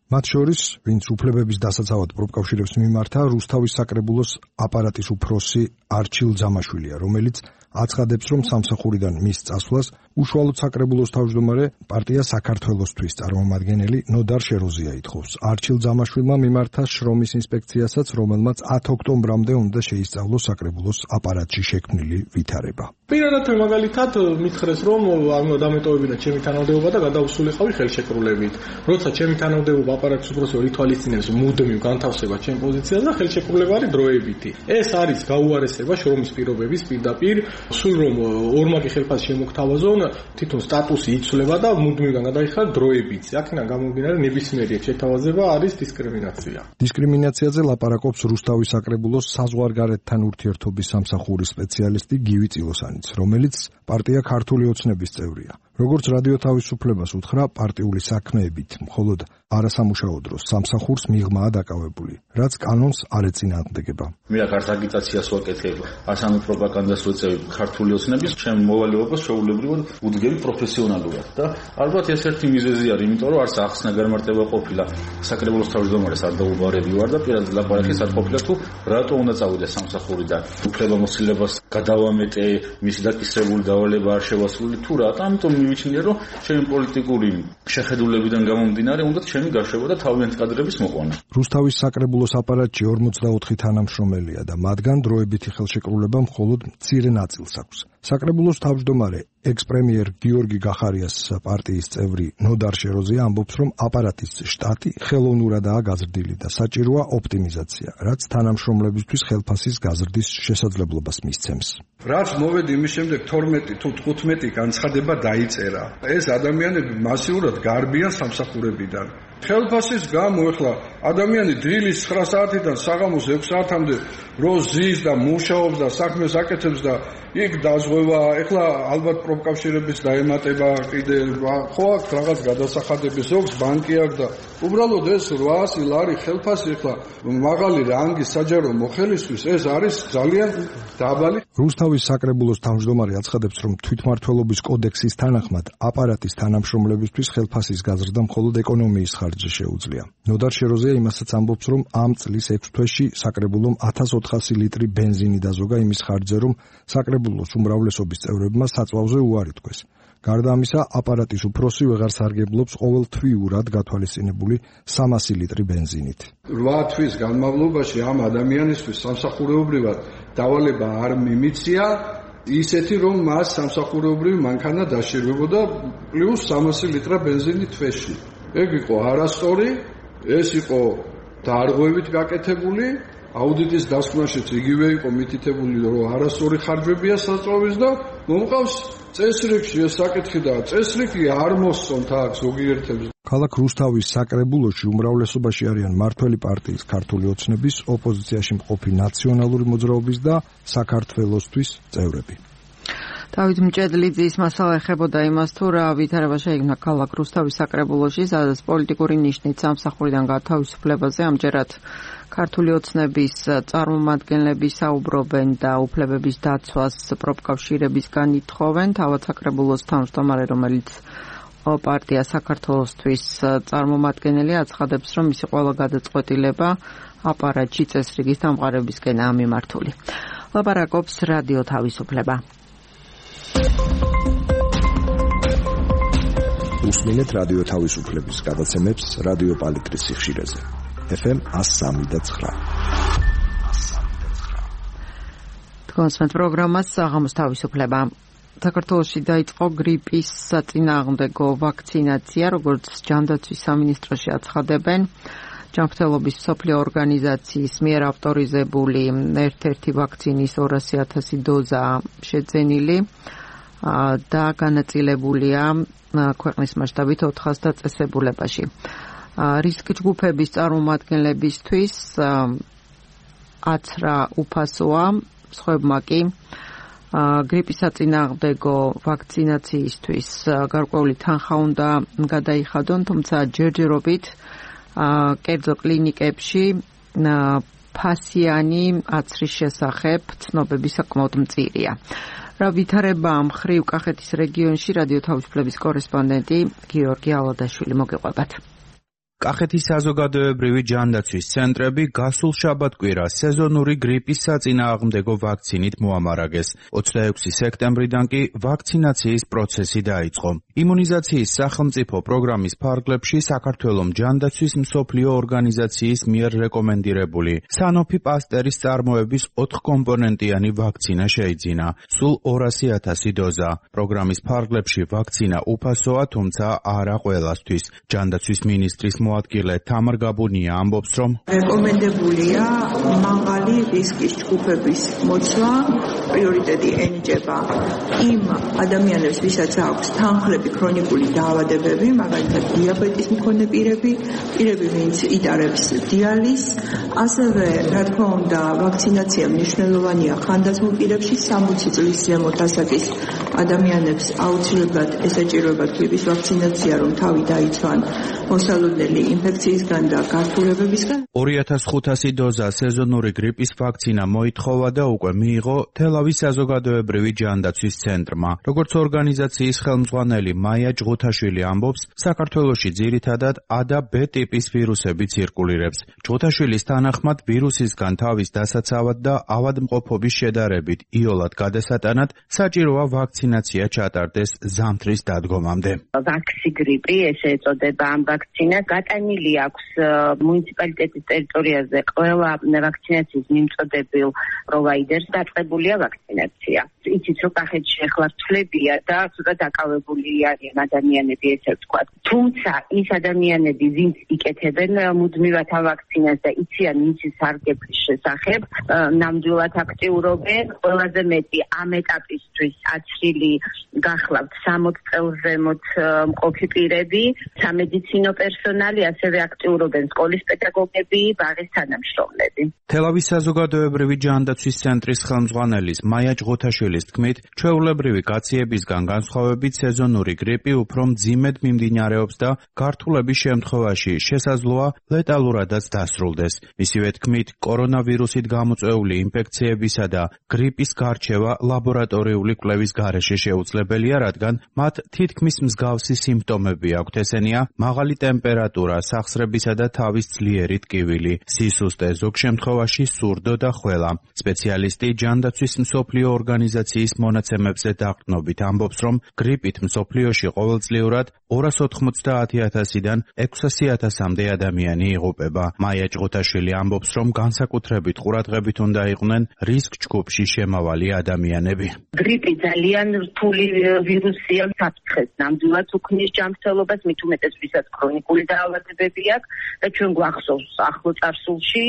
მათ შორის, ვინც უფლებების დასაცავად პროფკავშირებს მიმართა, რუსთავის საკრებულოს აპარატის უფროსი არჩილ ძამაშვილია, რომელიც აცხადებს, რომ სამსახურიდან მის წასვლას უშუალოდ საკრებულოს თავმჯდომარე პარტია საქართველოსთვის წარმომადგენელი ნოდარ შეროზია ითხოვს. არჩილ ძამაშვილმა მიმართა შრომის ინსპექციასაც, რომელმაც ათი ოქტომბრამდე უნდა შეისწავლოს საკრებულოს აპარატში შექმნილი ვითარება. პირადად მაგალითად მითხრეს, რომ დამეტოვებინა ჩემი თანამდებობა და გადავსულიყავი ხელშეკრულებით. როცა ჩემი თანამდებობა აპარატის უფროსი ითვალისწინებს მუდმივ განთავსებას ჩემ პოზიციაზე და ხელშეკრულება არის დროებითი. ეს არის გაუარესება შრომის პირობების პირდაპირ, სულ რომ ორმაგი ხელფასი შემოგთავაზონ, თვითონ სტატუსი იცვლება და მუდმივგან გადაიხადა დროებით. აქედან გამომდინარე ნებისმიერი შეთავაზება არის დისკრიმინაცია. დისკრიმინაციაზე ლაპარაკობს რუსთავის საკრებულოს საზღვარგარეთთან ურთიერთობის სამსახურის სპეციალისტი გივი წილოსანიც, რომელიც პარტია ქართული ოცნების წევრია. როგორც რადიო თავისუფლებას უთხრა, პარტიული საქმეებით მხოლოდ არასამუშაო დროს სამსახურს მიღმაა დაკავებული. რაც კანონს არ ეწინააღმდეგება. მე აქ აგიტაციას ვაკეთებ, ასამე პროპაგანდას ვეწევი ქართული ოცნების, ჩემ მოვალეობას შეუულებრივად უდგები პროფესიონალურად და ალბათ ეს ერთი მიზეზი არის, იმიტომ რომ არც ახსნა გამარტება ყოფილა საკრებულოს თავმჯდომარეს არ დაუბარები ვარ და პირადად ლაპარაკის არ ყოფილა თუ რატო უნდა წავიდე სამსახურიდან. უფლებამოსილებას გადავამეტე, მისი დაკისრებული დავალება არ შევასრულე თუ რატო, ამიტომ მივიჩნია რომ ჩემი პოლიტიკური შეხედულებიდან გამომდინარე უნდა ჩემი გაშვება და თავიანთი კადრების მოყვანა. რუსთავის საკრებულოს აპარატში ორმოცდაოთხი თანამშრომელია და მათგან დროებითი ხელშეკრულება მხოლოდ მცირე ნაწილს აქვს. საკრებულოს თავმჯდომარე ექს-პრემიერ გიორგი გახარიას პარტიის წევრი ნოდარ შეროზია ამბობს, რომ აპარატის შტატი ხელოვნურადაა გაზრდილი და საჭიროა ოპტიმიზაცია, რაც თანამშრომლებისთვის ხელფასის გაზრდის შესაძლებლობას მისცემს. რაც მოვედი იმის შემდეგ თორმეტი თუ თხუთმეტი განცხადება დაიწერა. ეს ადამიანები მასიურად გარბიან სამსახურებიდან. ხელფასის გამო ეხლა ადამიანი დილის ცხრა საათიდან საღამოს ექვს საათამდე რო ზის და მუშაობს და საქმეს აკეთებს და იქ დაზღვევა, ეხლა ალბათ პროფკავშირების დაემატება კიდე ხო აქვს რაღაც გადასახადები, ზოგს ბანკი აქვს და უბრალოდ ეს რვაასი ლარი ხელფასი ეხლა მაღალი რანგის საჯარო მოხელისთვის ეს არის ძალიან დაბალი. რუსთავის საკრებულოს თავმჯდომარე აცხადებს, რომ თვითმმართველობის კოდექსის თანახმად აპარატის თანამშრომლებისთვის ხელფასის გაზრდა მხოლოდ ეკონომიის ხარჯზე შეუძლია. ნოდარ შეროზია იმასაც ამბობს, რომ ამ წლის ექვს თვეში საკრებულომ ათას ოთხასი ლიტრი ბენზინი დაზოგა იმის ხარჯზე, რომ საკრებულოს უმრავლესობის წევრებმა საწვავზე უარი თქვეს. გარდა ამისა, აპარატის უფროსი ვეღარ სარგებლობს ყოველთვიურად გათვალისწინებული სამასი ლიტრი ბენზინით. რვა თვის განმავლობაში ამ ადამიანისთვის სამსახურეობრივად დავალება არ მიმიცია, ისეთი რომ მას სამსახურეობრივი მანქანა დაშირვებოდა პლუს სამასი ლიტრა ბენზინი თვეში. ეგ იყო არასწორი, ეს იყო დარღვევით გაკეთებული, აუდიტის დასკვნაშიც იგივე იყო მითითებული, რომ არასწორი ხარჯებია საწვავის და მომყავს წესრიგში ეს საკითხი და წესრიგი არ მოსწონთ აქ ზოგიერთებს. ქალაქ რუსთავის საკრებულოში უმრავლესობაში არიან მართველი პარტიის ქართული ოცნების, ოპოზიციაში მყოფი ნაციონალური მოძრაობის და საქართველოსთვის წევრები. დავით მჭედლიძის მასალა ეხებოდა იმას, თუ რა ვითარება შეიქმნა ქალაქ რუსთავის საკრებულოში, სადაც პოლიტიკური ნიშნით სამსახურიდან გათავისუფლებაზე ამჯერად ქართული ოცნების წარმომადგენლები საუბრობენ და უფლებების დაცვას პროფკავშირებისგან ითხოვენ. თავად საკრებულოს თავმჯდომარე, რომელიც პარტია საქართველოსთვის წარმომადგენელი, აცხადებს, რომ მისი ყველა გადაწყვეტილება აპარატში წესრიგის დამყარებისკენაა მიმართული. ლაპარაკობს რადიო თავისუფლება. უსმინეთ რადიო თავისუფლების გადაცემებს რადიო პალიტრის სიხშირეზე. ეფ ემ εκατო სამი და ცხრა. თქვენს პროგრამას საღამოს თავისუფლება. საქართველოში დაიწყო გრიპის საწინააღმდეგო ვაქცინაცია, როგორც ჯანდაცვის სამინისტროში აცხადებენ. ჯანმრთელობის მსოფლიო ორგანიზაციის მიერ ავტორიზებული ერთ-ერთი ვაქცინის ორასი ათასი დოზა შეძენილი და განაწილებულია ქვეყნის მასშტაბით ოთხას დაწესებულებაში. რისკ ჯგუფების წარმომადგენლებისთვის აცრა უფასოა, სხვებმა კი გრიპის საწინააღმდეგო ვაქცინაციისთვის გარკვეული თანხა უნდა გადაიხადონ, თუმცა ჯერჯერობით კერძო კლინიკებში ფასიანი აცრის შესახებ ცნობები საკმაოდ მწირია. რა ვითარება მხრივ კახეთის რეგიონში რადიო თავისუფლების კორესპონდენტი გიორგი ალადაშვილი მოგეყვებათ. კახეთის საზოგადოებრივი ჯანდაცვის ცენტრები გასულ შაბათ-კვირას სეზონური გრიპის საწინააღმდეგო ვაქცინით მოამარაგეს. ოცდაექვსი სექტემბრიდან კი ვაქცინაციის პროცესი დაიწყო. იმუნიზაციის სახელმწიფო პროგრამის ფარგლებში საქართველოს ჯანდაცვის მსოფლიო ორგანიზაციის მიერ რეკომენდირებული სანოფი პასტერის წარმოების ოთხკომპონენტიანი ვაქცინა შეიძინა. სულ ორასი ათასი დოზა. პროგრამის ფარგლებში ვაქცინა უფასოა, თუმცა არა ყველასთვის. ჯანდაცვის მინისტრის მოადგილე თამარ გაბუნია ამბობს, რომ რეკომენდებულია მაღალი რისკის ჯგუფების მოცვა, პრიორიტეტი ენიჭება იმ ადამიანებს, ვისაც აქვს თანხლები ქრონიკული დაავადებები, მაგალითად დიაბეტის მქონე პირები, პირები, ვინც იტარებს დიალიზს, ასევე რა თქმა უნდა, ვაქცინაცია მნიშვნელოვანია ხანდაზმულ პირებში, სამოცი წლის ზემოთ ასაკის ადამიანებს აუცილებლად ესაჭიროებათ გრიპის ვაქცინაცია, რომ თავი დაიცვან მოსალოდნელი ინფექციისგან და გართულებებისგან. ორი ათას ხუთასი დოზა სეზონური გრიპის ვაქცინა მოითხოვა და უკვე მიიღო თელავის საზოგადოებრივი ჯანდაცვის ცენტრმა. როგორც ორგანიზაციის ხელმძღვანელი მაია ჯღუთაშვილი ამბობს, საქართველოში ძირითადად A და B ტიპის ვირუსები ცირკულირებს. ჯღუთაშვილის თანახმად ვირუსისგან თავის დასაცავად და ავადმყოფობის შედარებით იოლად გადასატანად საჭიროა ვაქცინაცია ჩატარდეს ზამთრის დადგომამდე. ვაქსი გრიპი, ესე ეწოდება ამ ვაქცინას, გატანილი აქვს მუნიციპალიტეტის ტერიტორიაზე ყველა ვაქცინაციის მიმწოდებელ პროვაიდერს დაწყებულია ვაქცინაცია. იცით, რომ კახეთში ახლა რთვლებია და ცოტა დაკავებული არიან ადამიანები, ესე ვთქვათ. თუმცა ის ადამიანები, ვინც იკეთებენ მუდმივად ავაქცინას და იციან მისის სარგებლის შესახებ, ნამდვილად აქტიურობენ. ყველაზე მეტი ამ ეტაპისთვის აცრილი გახლავთ სამოცი წელს ზემოთ მყოფი პირები, სამედიცინო პერსონალი, ასევე აქტიურობენ სკოლის პედაგოგები, ბაღის თანამშრომლები. თელავის საზოგადოებრივი ჯანდაცვის ცენტრის ხელმძღვანელის მაია ჯღუთაშვილის თქმით, ჩვეულებრივი გაციებისგან განსხვავებით სეზონური გრიპი უფრო მძიმედ მიმდინარეობს და გართულების შემთხვევაში შესაძლოა ლეტალურადაც დასრულდეს. მისივე თქმით, კორონავირუსით გამოწვეული ინფექციებისა და გრიპის გარჩევა ლაბორატორიული კვლევის გარეშე შეუძლებელია, რადგან მათ თითქმის მსგავსი სიმპტომები აქვთ, ესენია მაღალი ტემპერატურა, სახსრებისა და თავის ძლიერი ტკივილი, სისუსტე, ზოგ შემთხვევაში სურდო და ხველა. სპეციალისტი ჯანდაცვის მსოფლიო ორგანიზაციის მონაცემებზე დაყრდნობით ამბობს, რომ გრიპით მსოფლიოში ყოველწლიურად ორას ოთხმოცდაათი ათასიდან ექვსასი ათასამდე ადამიანი იღუპება. მაია ჯღუთაშვილი ამბობს, რომ განსაკუთრებით ყურადღებით უნდა იყვნენ რისკ ჯგუფში შემავალი ადამიანები. გრიპი ძალიან რთული ვირუსია, საფრთხეს ნამდვილად უქმნის ჯანმრთელობას, მით უმეტეს ვისაც ქრონიკული დაავადებები აქვს და ჩვენ გვახსოვს ახლო წარსულში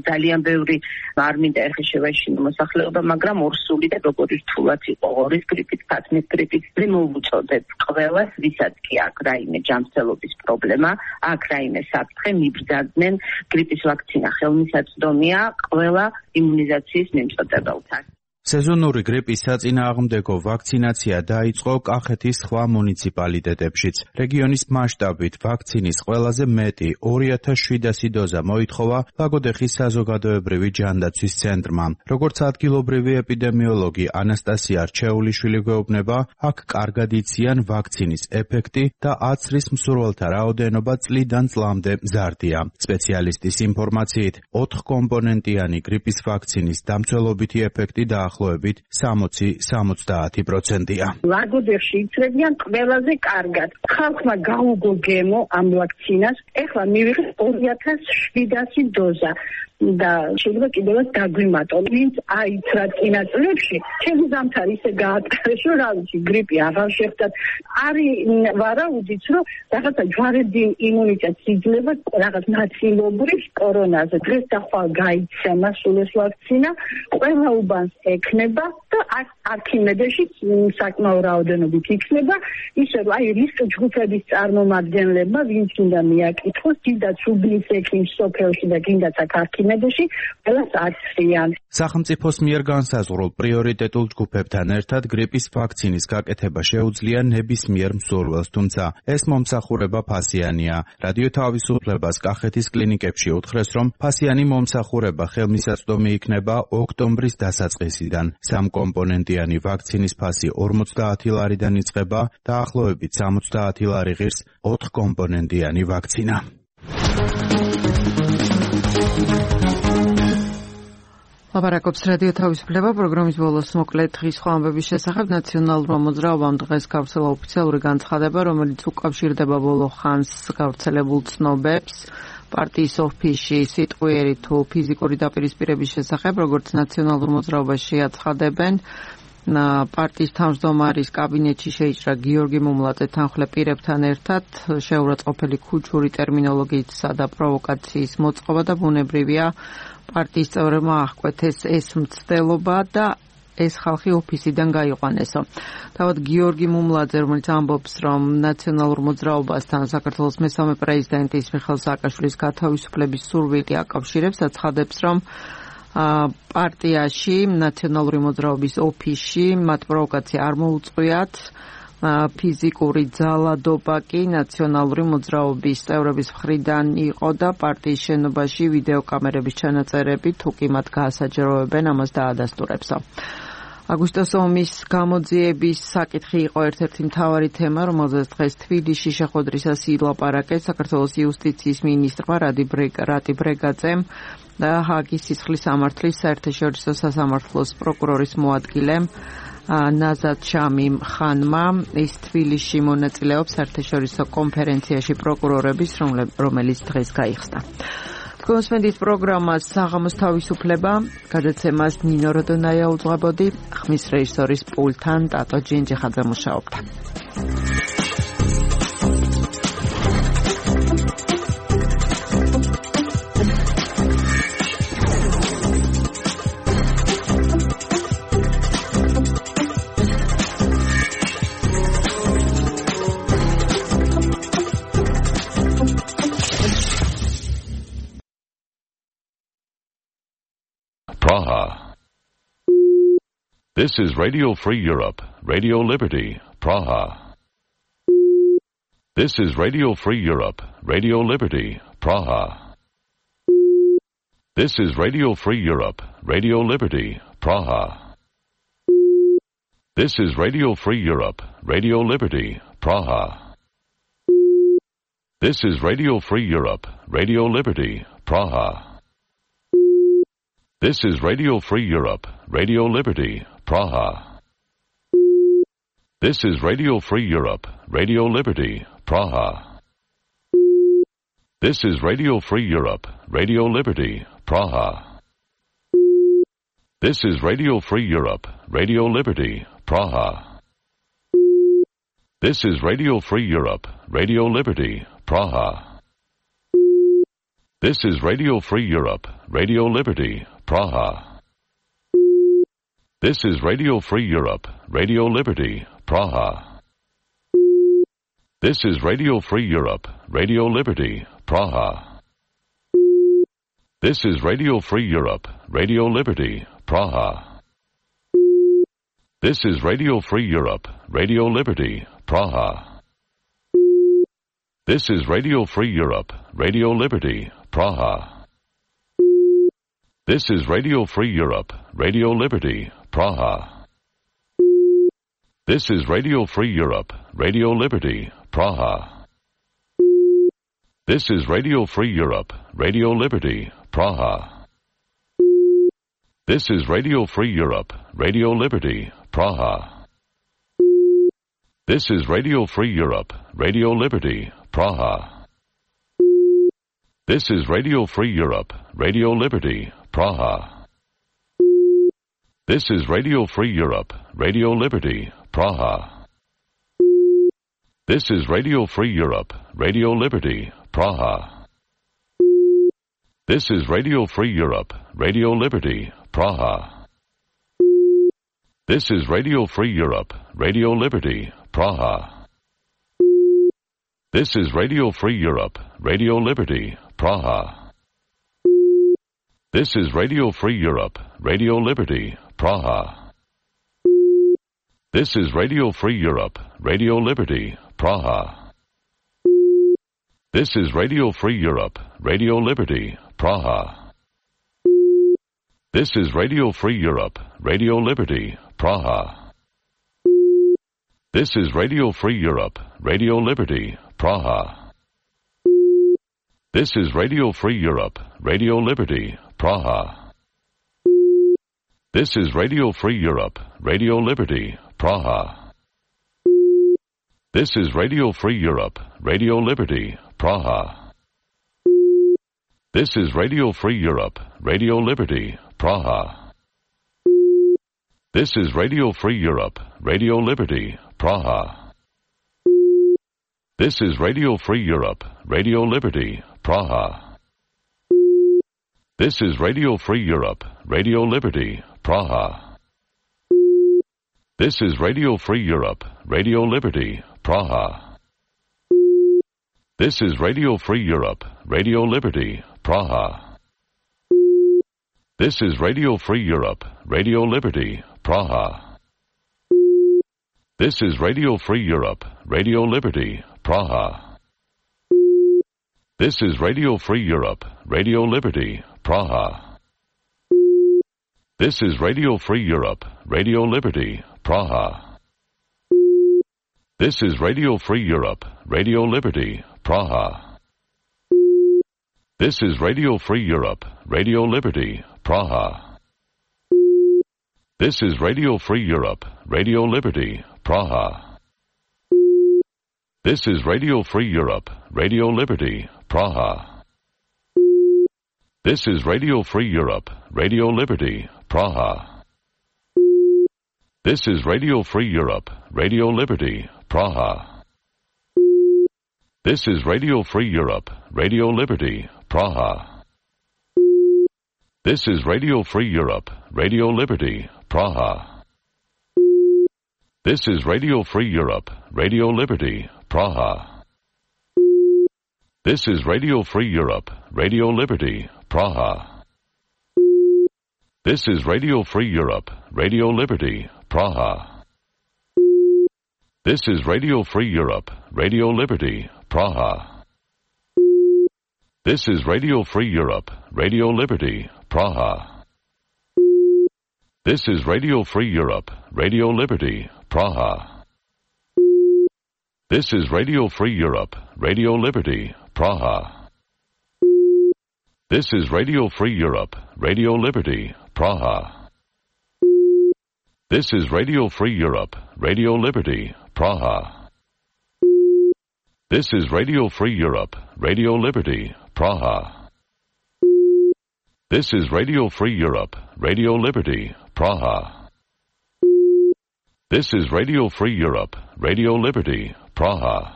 ძალიან ბევრი არ მინდა ეხლა შევაშინო მოსახლეობა, მაგრამ ორსული და როგორი რთულად იყო ორის გრიპით, ფათმის გრიპით, მოვუწოდებ ყველას, ვისაც კი აქვს რაიმე ჯანმრთელობის პრობლემა, აქვს რაიმე საფრთხე, მიბრძანდნენ გრიპის ვაქცინა ხელმისაწვდომია ყველა იმუნიზაციის მიმწოდებელთან. სეზონური გრიპის საწინააღმდეგო ვაქცინაცია დაიწყო კახეთის სხვა მუნიციპალიტეტებშიც. რეგიონის მასშტაბით ვაქცინის ყველაზე მეტი ორი ათას შვიდასი დოზა მოითხოვა ლაგოდეხის საზოგადოებრივი ჯანდაცვის ცენტრმა. როგორც ადგილობრივი ეპიდემიოლოგი ანასტასია რჩეულიშვილი გვეუბნება, აქ კარგად იციან ვაქცინის ეფექტი და აცრის მსურველთა რაოდენობა წლიდან წლამდე მზარდია. სპეციალისტის ინფორმაციით, ოთხკომპონენტიანი გრიპის ვაქცინის დამცველობითი ეფექტი და ახლოებით სამოცი სამოცდაათი პროცენტია. ლაგოდეხში იცრებიან ყველაზე კარგად. ხალხმა გაუგო გემო ამ ვაქცინას. ეხლა მივიღეთ ორი ათას შვიდასი დოზა. და შეიძლება კიდევაც დაგვიმატო. ვინც აიცრა წინა წლებში, ჩემი ზამთარი ისე გაატარეს, რომ რა ვიცი, გრიპი აღარ შეხვდათ. არის ვარაუდიც, რომ რაღაცა ჯვარედი იმუნიტეტს იძლევა რაღაც ნაწილობრივ კორონაზე. დღეს და ხვალ გაიცემა სულ ეს ვაქცინა, ყველა უბანს ექნება და არქიმედეში საკმაო რაოდენობით იქნება, ისე რომ აი რისკ ჯგუფების წარმომადგენლებმა, ვინც უნდა მიაკითხოს, დიდაც უბნის ექიმს სოფელში და კიდაც აქ არქიმედეში, ყველას აცრიან. სახელმწიფოს მიერ განსაზღვრულ პრიორიტეტულ ჯგუფებთან ერთად გრიპის ვაქცინის გაკეთება შეუძლია ნებისმიერ მსურველს, თუმცა ეს მომსახურება ფასიანია. რადიო თავისუფლებას კახეთის კლინიკებში უთხრეს, რომ ფასიანი მომსახურება ხელმისაწვდომი იქნება ოქტომბრის დასაწყისიდან. სამკომპონენტიანი ვაქცინის ფასი ორმოცდაათი ლარიდან იწყება და ახლოებით სამოცდაათი ლარი ღირს ოთხკომპონენტიანი ვაქცინა. ლაპარაკობს რადიო თავისუფლება პროგრამის ბოლოს მოკლედ დღის სხვა ამბების შესახებ. ნაციონალურმა მოძრაობამ დღეს გავრცელა ოფიციალური განცხადება, რომელიც უკავშირდება ბოლო ხანს გავრცელებულ ცნობებს პარტიის ოფისში სიტყვიერი თუ ფიზიკური დაპირისპირების შესახებ, როგორც ნაციონალურ მოძრაობაში აცხადებენ. პარტიის თავმჯდომარის კაბინეტში შეიჭრა გიორგი მუმლაძე თანხლე პირებთან ერთად, შეურაცხყოფელი ქუჩური ტერმინოლოგიისა და პროვოკაციის მოწყობა და ბუნებრივია პარტიის წევრებმა აღკვეთეს ეს მცდელობა და ეს ხალხი ოფისიდან გაიყვანესო. თავად გიორგი მუმლაძე, რომელიც ამბობს, რომ ნაციონალურ მოძრაობასთან საქართველოს მესამე პრეზიდენტის მიხეილ სააკაშვილის გათავისუფლების სურვილი აკავშირებს, აცხადებს, რომ პარტიაში, ნაციონალური მოძრაობის ოფისში მათ პროვოკაცია არ მოუწყვიათ. ფიზიკური ძალადობა კი ნაციონალური მოძრაობის წევრების მხრიდან იყო და პარტიის შენობაში ვიდეოკამერების ჩანაწერები თუ კი მათ გაასაჯაროებენ, ამას დაადასტურებსო. აგვისტოს ომის გამოძიების საკითხი იყო ერთ-ერთი მთავარი თემა, რომელზეც დღეს თბილისში შეხვედრისას ილაპარაკეს საქართველოს იუსტიციის მინისტრმა რატი ბრეგაძემ და ჰააგის სისხლის სამართლის საერთაშორისო სასამართლოს პროკურორის მოადგილემ ნაზად შამიმ ხანმა. ის თბილისში მონაწილეობს საერთაშორისო კონფერენციაში პროკურორების, რომელიც დღეს გაიხსნა. კონსმენდის პროგრამას საღამოს თავისუფლება, გადაცემას ნინო როდონაია უძღვებოდი, ხმის რეჟისორის პულტთან ტატო ჯინჯიხაძე მუშაობდა. Praha. This is Radio Free Europe, Radio Liberty, Praha. This is Radio Free Europe, Radio Liberty, Praha. This is Radio Free Europe, Radio Liberty, Praha. This is Radio Free Europe, Radio Liberty, Praha. This is Radio Free Europe, Radio Liberty, Praha. This is Radio Free Europe, Radio Liberty, Praha. This is Radio Free Europe, Radio Liberty, Praha. This is Radio Free Europe, Radio Liberty, Praha. This is Radio Free Europe, Radio Liberty, Praha. This is Radio Free Europe, Radio Liberty, Praha. This is Radio Free Europe, Radio Liberty, Praha. This is Radio Free Europe, Radio Liberty, Praha. This is Radio Free Europe, Radio Liberty, Praha. This is Radio Free Europe, Radio Liberty, Praha. This is Radio Free Europe, Radio Liberty, Praha. This is Radio Free Europe, Radio Liberty, Praha. This is Radio Free Europe, Radio Liberty, Praha. This is Radio Free Europe, Radio Liberty, Praha. This is Radio Free Europe, Radio Liberty, Praha. This is Radio Free Europe, Radio Liberty, Praha. This is Radio Free Europe, Radio Liberty, Praha. This is Radio Free Europe, Radio Liberty, Praha. This is Radio Free Europe, Radio Liberty, Praha. This is Radio Free Europe, Radio Liberty, Praha. This is Radio Free Europe, Radio Liberty, Praha. This is Radio Free Europe, Radio Liberty, Praha. This is Radio Free Europe, Radio Liberty, Praha. This is Radio Free Europe, Radio Liberty, Praha. This is Radio Free Europe, Radio Liberty, Praha. This is Radio Free Europe, Radio Liberty, Praha. This is Radio Free Europe, Radio Liberty, Praha. This is Radio Free Europe, Radio Liberty, Praha. This is Radio Free Europe, Radio Liberty, Praha. This is Radio Free Europe, Radio Liberty, Praha. This is Radio Free Europe, Radio Liberty, Praha. This is Radio Free Europe, Radio Liberty, Praha. This is Radio Free Europe, Radio Liberty, Praha. This is Radio Free Europe, Radio Liberty, Praha. This is Radio Free Europe, Radio Liberty, Praha. This is Radio Free Europe, Radio Liberty, Praha. This is Radio Free Europe, Radio Liberty, Praha. This is Radio Free Europe, Radio Liberty, Praha. This is Radio Free Europe, Radio Liberty, Praha. This is Radio Free Europe, Radio Liberty, Praha. This is Radio Free Europe, Radio Liberty, Praha. This is Radio Free Europe, Radio Liberty, Praha. This is Radio Free Europe, Radio Liberty, Praha. This is Radio Free Europe, Radio Liberty, Praha. This is Radio Free Europe, Radio Liberty, Praha. This is Radio Free Europe, Radio Liberty, Praha. This is Radio Free Europe, Radio Liberty, Praha. This is Radio Free Europe, Radio Liberty, Praha. This is Radio Free Europe, Radio Liberty, Praha. This is Radio Free Europe, Radio Liberty, Praha. This is Radio Free Europe, Radio Liberty, Praha. This is Radio Free Europe, Radio Liberty, Praha. This is Radio Free Europe, Radio Liberty, Praha. This is Radio Free Europe, Radio Liberty, Praha. This is Radio Free Europe, Radio Liberty, Praha. This is Radio Free Europe, Radio Liberty, Praha. This is Radio Free Europe, Radio Liberty, Praha. This is Radio Free Europe, Radio Liberty, Praha. This is Radio Free Europe, Radio Liberty, Praha. This is Radio Free Europe, Radio Liberty, Praha. This is Radio Free Europe, Radio Liberty, Praha.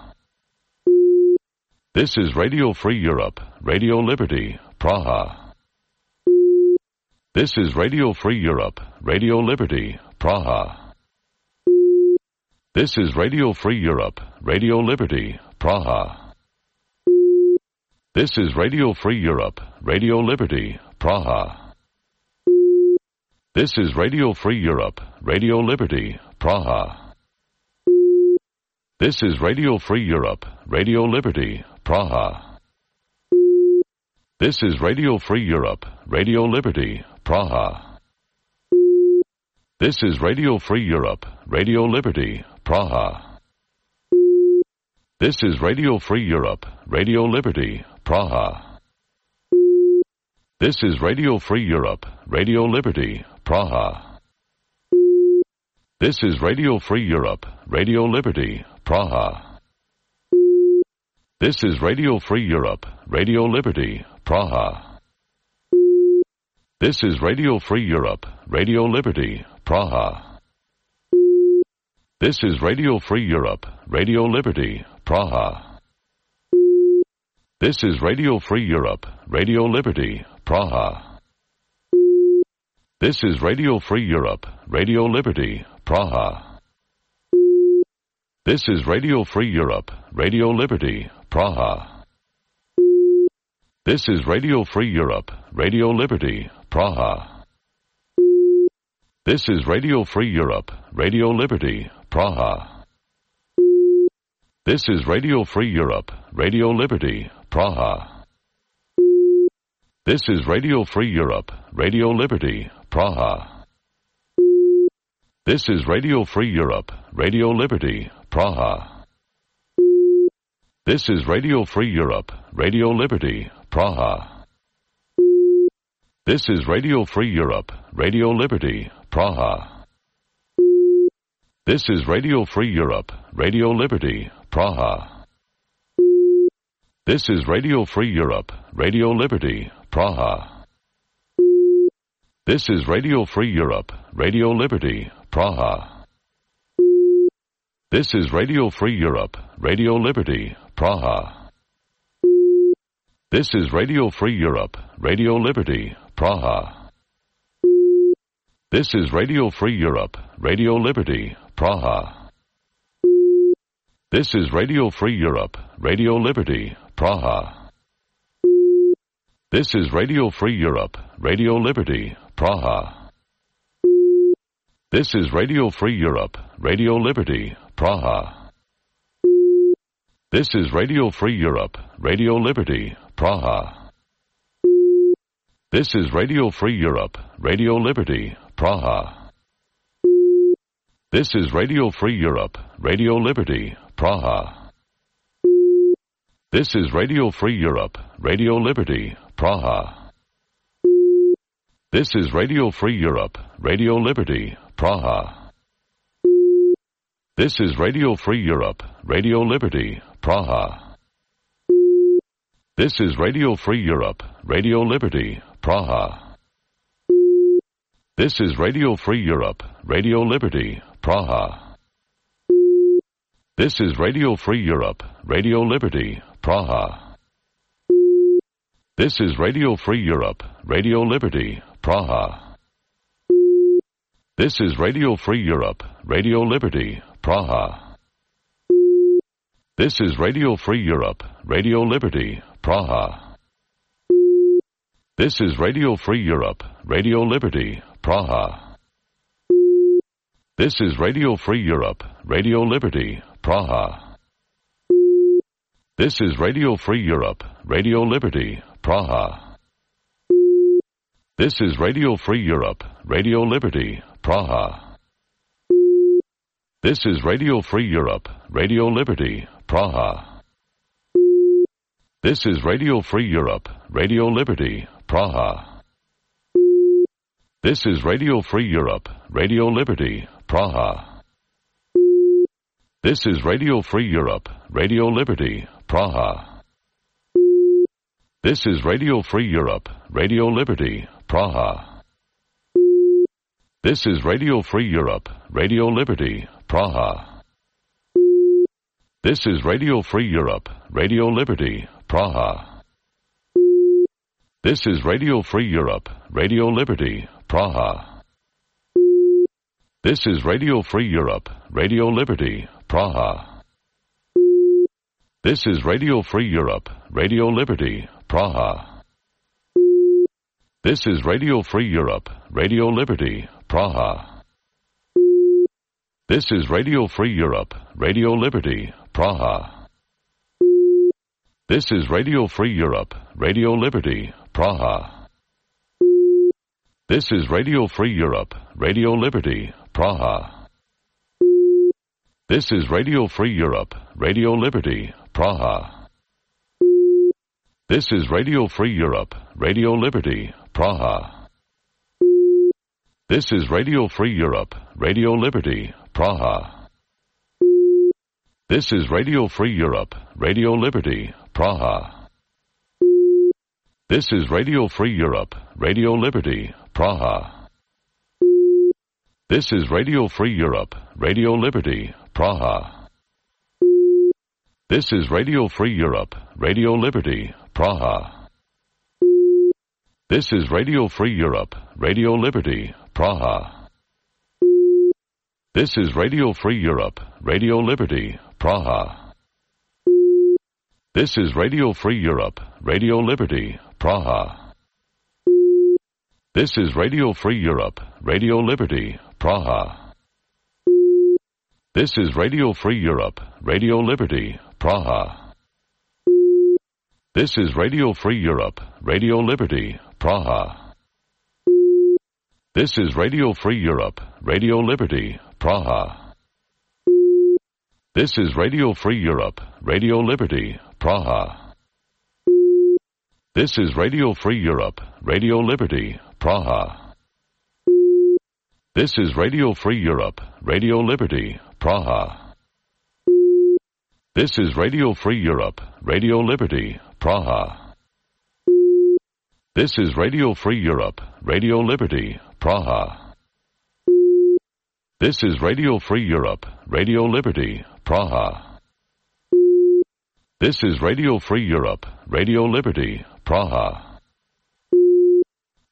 This is Radio Free Europe, Radio Liberty, Praha. This is Radio Free Europe, Radio Liberty, Praha. This is Radio Free Europe, Radio Liberty, Praha. This is Radio Free Europe, Radio Liberty, Praha. This is Radio Free Europe, Radio Liberty, Praha. This is Radio Free Europe, Radio Liberty, Praha. This is Radio Free Europe, Radio Liberty, Praha. This is Radio Free Europe, Radio Liberty, Praha. This is Radio Free Europe, Radio Liberty, Praha. This is Radio Free Europe, Radio Liberty, Praha. This is Radio Free Europe, Radio Liberty, Praha. This is Radio Free Europe, Radio Liberty, Praha. This is Radio Free Europe, Radio Liberty, Praha. This is Radio Free Europe, Radio Liberty, Praha. This is Radio Free Europe, Radio Liberty, Praha. This is Radio Free Europe, Radio Liberty, Praha. This is Radio Free Europe, Radio Liberty, Praha. This is Radio Free Europe, Radio Liberty, Praha. This is Radio Free Europe, Radio Liberty, Praha. This is Radio Free Europe, Radio Liberty, Praha. This is Radio Free Europe, Radio Liberty, Praha. This is Radio Free Europe, Radio Liberty, Praha. This is Radio Free Europe, Radio Liberty, Praha. This is Radio Free Europe, Radio Liberty, Praha. This is Radio Free Europe, Radio Liberty, Praha. This is Radio Free Europe, Radio Liberty, Praha. This is Radio Free Europe, Radio Liberty, Praha. This is Radio Free Europe, Radio Liberty, Praha. This is Radio Free Europe, Radio Liberty, Praha. This is Radio Free Europe, Radio Liberty, Praha. This is Radio Free Europe, Radio Liberty, Praha. This is Radio Free Europe, Radio Liberty, Praha. This is Radio Free Europe, Radio Liberty, Praha. This is Radio Free Europe, Radio Liberty, Praha. This is Radio Free Europe, Radio Liberty, Praha. This is Radio Free Europe, Radio Liberty, Praha. This is Radio Free Europe, Radio Liberty, Praha. This is Radio Free Europe, Radio Liberty, Praha. This is Radio Free Europe, Radio Liberty, Praha. This is Radio Free Europe, Radio Liberty, Praha. This is Radio Free Europe, Radio Liberty, Praha. This is Radio Free Europe, Radio Liberty, Praha. This is Radio Free Europe, Radio Liberty, Praha. This is Radio Free Europe, Radio Liberty, Praha. This is Radio Free Europe, Radio Liberty, Praha. This is Radio Free Europe, Radio Liberty, Praha. This is Radio Free Europe, Radio Liberty, Praha. This is Radio Free Europe, Radio Liberty, Praha. This is Radio Free Europe, Radio Liberty, Praha. This is Radio Free Europe, Radio Liberty, Praha. This is Radio Free Europe, Radio Liberty, Praha. This is Radio Free Europe, Radio Liberty, Praha. This is Radio Free Europe, Radio Liberty, Praha. This is Radio Free Europe, Radio Liberty, Praha. This is Radio Free Europe, Radio Liberty, Praha. This is Radio Free Europe, Radio Liberty, Praha. This is Radio Free Europe, Radio Liberty, Praha. This is Radio Free Europe, Radio Liberty, Praha. This is Radio Free Europe, Radio Liberty, Praha. This is Radio Free Europe, Radio Liberty, Praha. This is Radio Free Europe, Radio Liberty, Praha. This is Radio Free Europe, Radio Liberty, Praha. This is Radio Free Europe, Radio Liberty, Praha. This is Radio Free Europe, Radio Liberty, Praha. This is Radio Free Europe, Radio Liberty, Praha. This is Radio Free Europe, Radio Liberty, Praha. This is Radio Free Europe, Radio Liberty, Praha. This is Radio Free Europe, Radio Liberty, Praha. This is Radio Free Europe, Radio Liberty, Praha. This is Radio Free Europe, Radio Liberty, Praha. This is Radio Free Europe, Radio Liberty, Praha. This is Radio Free Europe, Radio Liberty, Praha. This is Radio Free Europe, Radio Liberty, Praha. This is Radio Free Europe, Radio Liberty, Praha. This is Radio Free Europe, Radio Liberty, Praha. This is Radio Free Europe, Radio Liberty, Praha. This is Radio Free Europe, Radio Liberty, Praha. This is Radio Free Europe, Radio Liberty, Praha. This is Radio Free Europe, Radio Liberty, Praha. This is Radio Free Europe, Radio Liberty, Praha. This is Radio Free Europe, Radio Liberty, Praha. This is Radio Free Europe, Radio Liberty, Praha. This is Radio Free Europe, Radio Liberty, Praha. This is Radio Free Europe, Radio Liberty, Praha.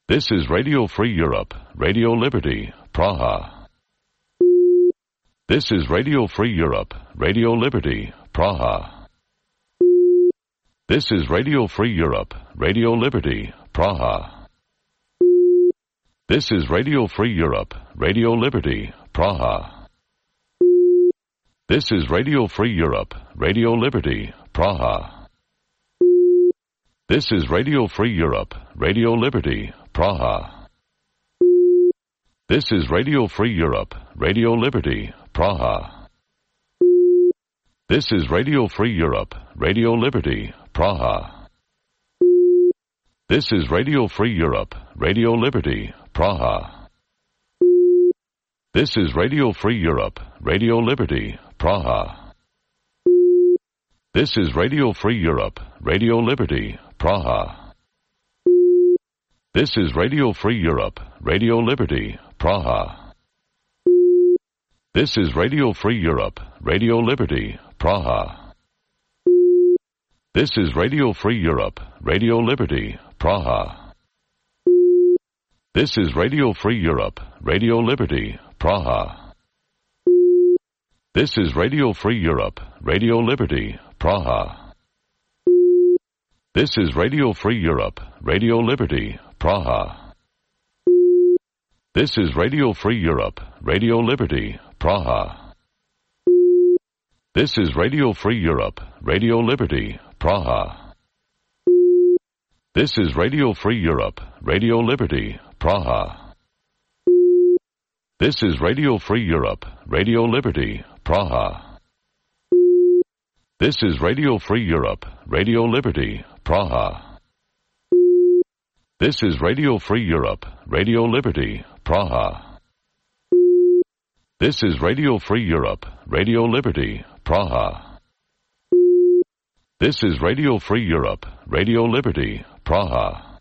This is Radio Free Europe, Radio Liberty, Praha. This is Radio Free Europe, Radio Liberty, Praha. This is Radio Free Europe, Radio Liberty, Praha. This is Radio Free Europe, Radio Liberty, Praha. This is Radio Free Europe, Radio Liberty, Praha. This is Radio Free Europe, Radio Liberty, Praha. This is Radio Free Europe, Radio Liberty, Praha. This is Radio Free Europe, Radio Liberty, Praha. This is Radio Free Europe, Radio Liberty, Praha. This is Radio Free Europe, Radio Liberty, Praha. This is Radio Free Europe, Radio Liberty, Praha. This is Radio Free Europe, Radio Liberty, Praha. This is Radio Free Europe, Radio Liberty, Praha. This is Radio Free Europe, Radio Liberty, Praha. This is Radio Free Europe, Radio Liberty, Praha. This is Radio Free Europe, Radio Liberty, Praha. This is Radio Free Europe, Radio Liberty, Praha. This is Radio Free Europe, Radio Liberty, Praha. This is Radio Free Europe, Radio Liberty, Praha. This is Radio Free Europe, Radio Liberty, Praha. This is Radio Free Europe, Radio Liberty, Praha. This is Radio Free Europe, Radio Liberty, Praha. This is Radio Free Europe, Radio Liberty, Praha. This is Radio Free Europe, Radio Liberty, Praha. This is Radio Free Europe, Radio Liberty, Praha.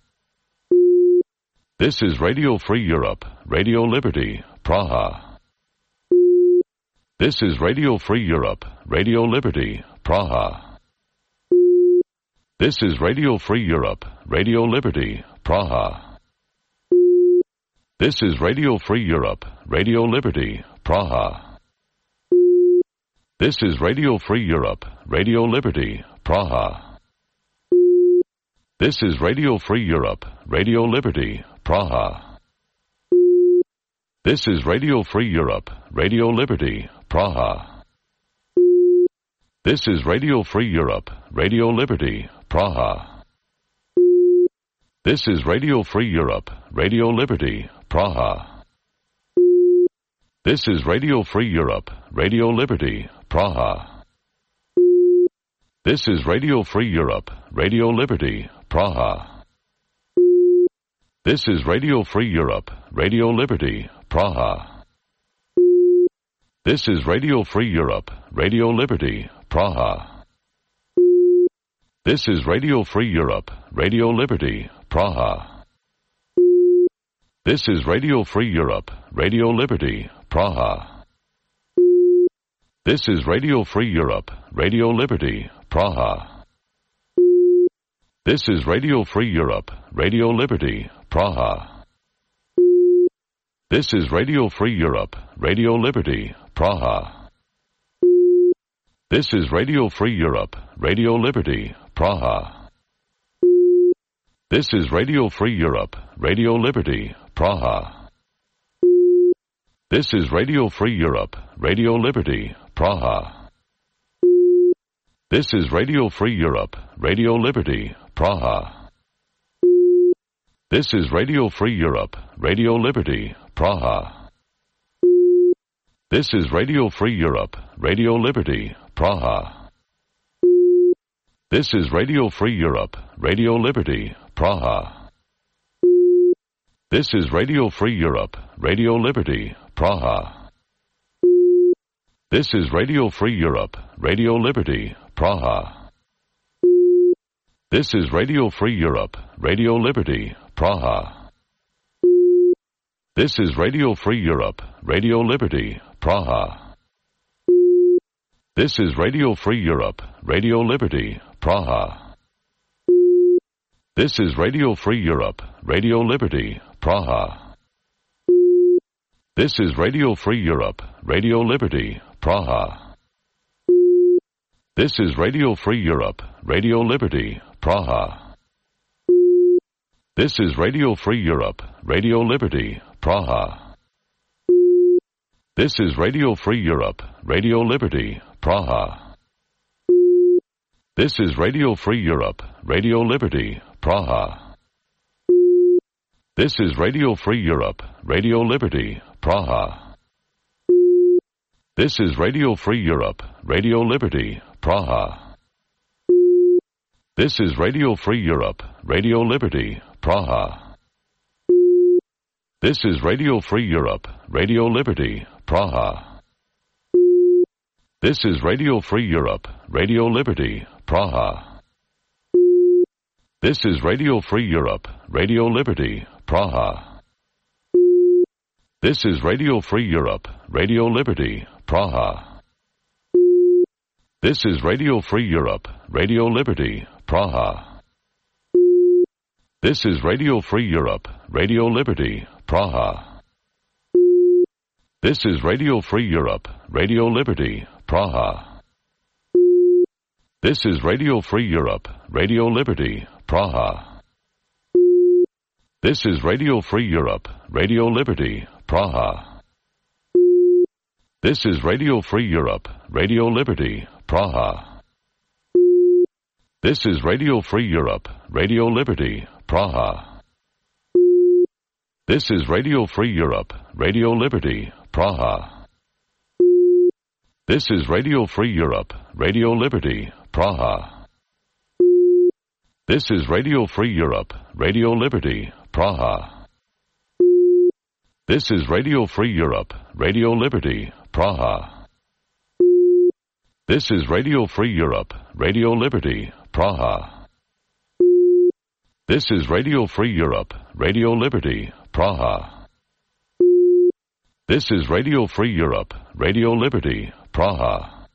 This is Radio Free Europe, Radio Liberty, Praha. This is Radio Free Europe, Radio Liberty, Praha. This is Radio Free Europe, Radio Liberty, Praha. This is Radio Free Europe, Radio Liberty, Praha. This is Radio Free Europe, Radio Liberty, Praha. This is Radio Free Europe, Radio Liberty, Praha. This is Radio Free Europe, Radio Liberty, Praha. This is Radio Free Europe, Radio Liberty, Praha. This is Radio Free Europe, Radio Liberty, Praha. This is Radio Free Europe, Radio Liberty, Praha. This is Radio Free Europe, Radio Liberty, Praha. This is Radio Free Europe, Radio Liberty, Praha. This is Radio Free Europe, Radio Liberty, Praha. This is Radio Free Europe, Radio Liberty, Praha. This is Radio Free Europe, Radio Liberty, Praha. This is Radio Free Europe, Radio Liberty, Praha. This is Radio Free Europe, Radio Liberty, Praha. This is Radio Free Europe, Radio Liberty, Praha. This is Radio Free Europe, Radio Liberty, Praha. This is Radio Free Europe, Radio Liberty, Praha. This is Radio Free Europe, Radio Liberty, Praha. This is Radio Free Europe, Radio Liberty, Praha. This is Radio Free Europe, Radio Liberty, Praha. This is Radio Free Europe, Radio Liberty, Praha. This is Radio Free Europe, Radio Liberty, Praha. This is Radio Free Europe, Radio Liberty, Praha. This is Radio Free Europe, Radio Liberty, Praha. This is Radio Free Europe, Radio Liberty, Praha. This is Radio Free Europe, Radio Liberty, Praha. This is Radio Free Europe, Radio Liberty, Praha. This is Radio Free Europe, Radio Liberty, Praha. This is Radio Free Europe, Radio Liberty, Praha. This is Radio Free Europe, Radio Liberty, Praha. This is Radio Free Europe, Radio Liberty, Praha. This is Radio Free Europe, Radio Liberty, Praha. This is Radio Free Europe, Radio Liberty, Praha. This is Radio Free Europe, Radio Liberty, Praha. This is Radio Free Europe, Radio Liberty, Praha. This is Radio Free Europe, Radio Liberty, Praha. This is Radio Free Europe, Radio Liberty, Praha. This is Radio Free Europe, Radio Liberty, Praha. This is Radio Free Europe, Radio Liberty, Praha. This is Radio Free Europe, Radio Liberty, Praha. This is Radio Free Europe, Radio Liberty, Praha. This is Radio Free Europe, Radio Liberty, Praha. This is Radio Free Europe, Radio Liberty, Praha. This is Radio Free Europe, Radio Liberty, Praha. This is Radio Free Europe, Radio Liberty, Praha. This is Radio Free Europe, Radio Liberty, Praha. This is Radio Free Europe, Radio Liberty, Praha. This is Radio Free Europe, Radio Liberty, Praha. This is Radio Free Europe, Radio Liberty, Praha. This is Radio Free Europe, Radio Liberty, Praha. This is Radio Free Europe, Radio Liberty, Praha. This is Radio Free Europe, Radio Liberty, Praha. This is Radio Free Europe, Radio Liberty, Praha. This is Radio Free Europe, Radio Liberty, Praha.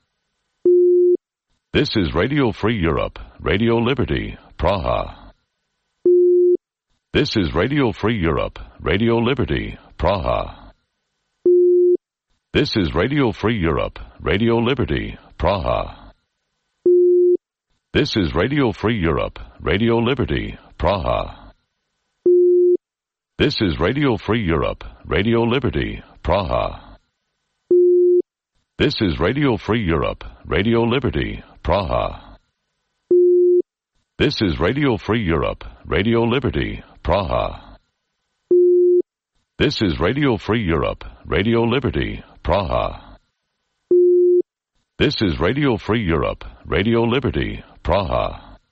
This is Radio Free Europe, Radio Liberty, Praha. This is Radio Free Europe, Radio Liberty, Praha. This is Radio Free Europe, Radio Liberty, Praha. This is Radio Free Europe, Radio Liberty, Praha. This is Radio Free Europe, Radio Liberty, Praha. This is Radio Free Europe, Radio Liberty, Praha. This is Radio Free Europe, Radio Liberty, Praha. This is Radio Free Europe, Radio Liberty, Praha. This is Radio Free Europe, Radio Liberty, Praha.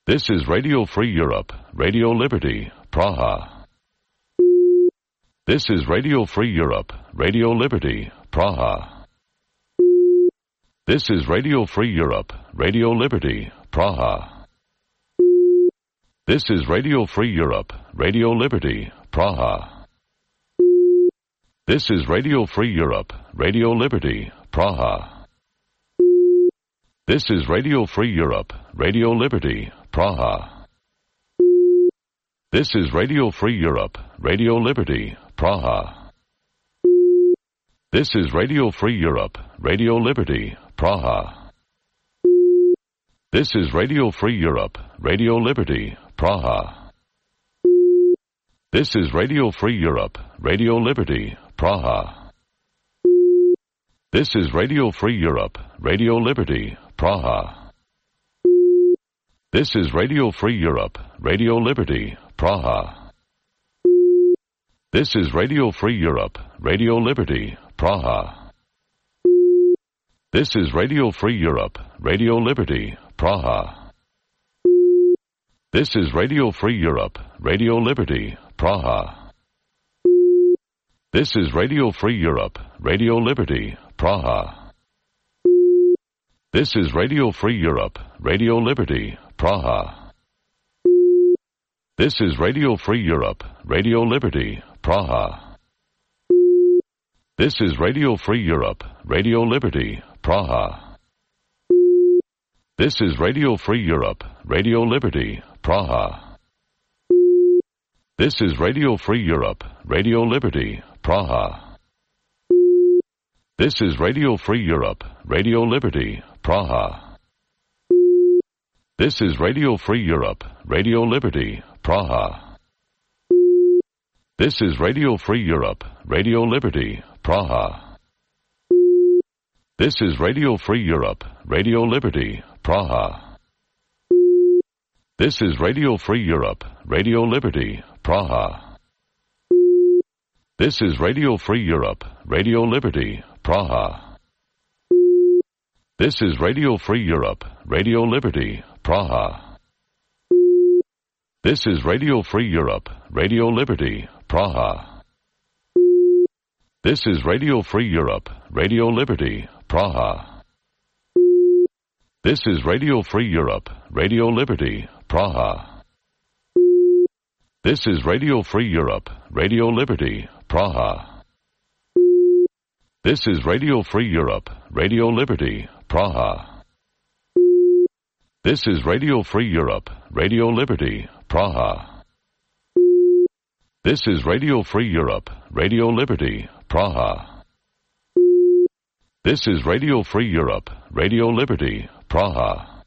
This is Radio Free Europe, Radio Liberty, Praha. This is Radio Free Europe, Radio Liberty, Praha. This is Radio Free Europe, Radio Liberty, Praha. This is Radio Free Europe, Radio Liberty, Praha. This is Radio Free Europe, Radio Liberty, Praha. This is Radio Free Europe, Radio Liberty, Praha. This is Radio Free Europe, Radio Liberty, Praha. This is Radio Free Europe, Radio Liberty, Praha. This is Radio Free Europe, Radio Liberty, Praha. This is Radio Free Europe, Radio Liberty, Praha. This is Radio Free Europe, Radio Liberty, Praha. This is Radio Free Europe, Radio Liberty, Praha. This is Radio Free Europe, Radio Liberty, Praha. This is Radio Free Europe, Radio Liberty, Praha. This is Radio Free Europe, Radio Liberty, Praha. This is Radio Free Europe, Radio Liberty, Praha. This is Radio Free Europe, Radio Liberty, Praha. This is Radio Free Europe, Radio Liberty, Praha. This is Radio Free Europe, Radio Liberty, Praha. This is Radio Free Europe, Radio Liberty, Praha. This is Radio Free Europe, Radio Liberty, Praha. This is Radio Free Europe, Radio Liberty, Praha. This is Radio Free Europe, Radio Liberty, Praha. This is Radio Free Europe, Radio Liberty, Praha. This is Radio Free Europe, Radio Liberty, Praha. This is Radio Free Europe, Radio Liberty, Praha. This is Radio Free Europe, Radio Liberty, Praha. This is Radio Free Europe, Radio Liberty, Praha. This is Radio Free Europe, Radio Liberty, Praha. This is Radio Free Europe, Radio Liberty, Praha. This is Radio Free Europe, Radio Liberty, Praha. This is Radio Free Europe, Radio Liberty, Praha. This is Radio Free Europe, Radio Liberty, Praha. This is Radio Free Europe, Radio Liberty, Praha. This is Radio Free Europe, Radio Liberty, Praha. This is Radio Free Europe, Radio Liberty, Praha.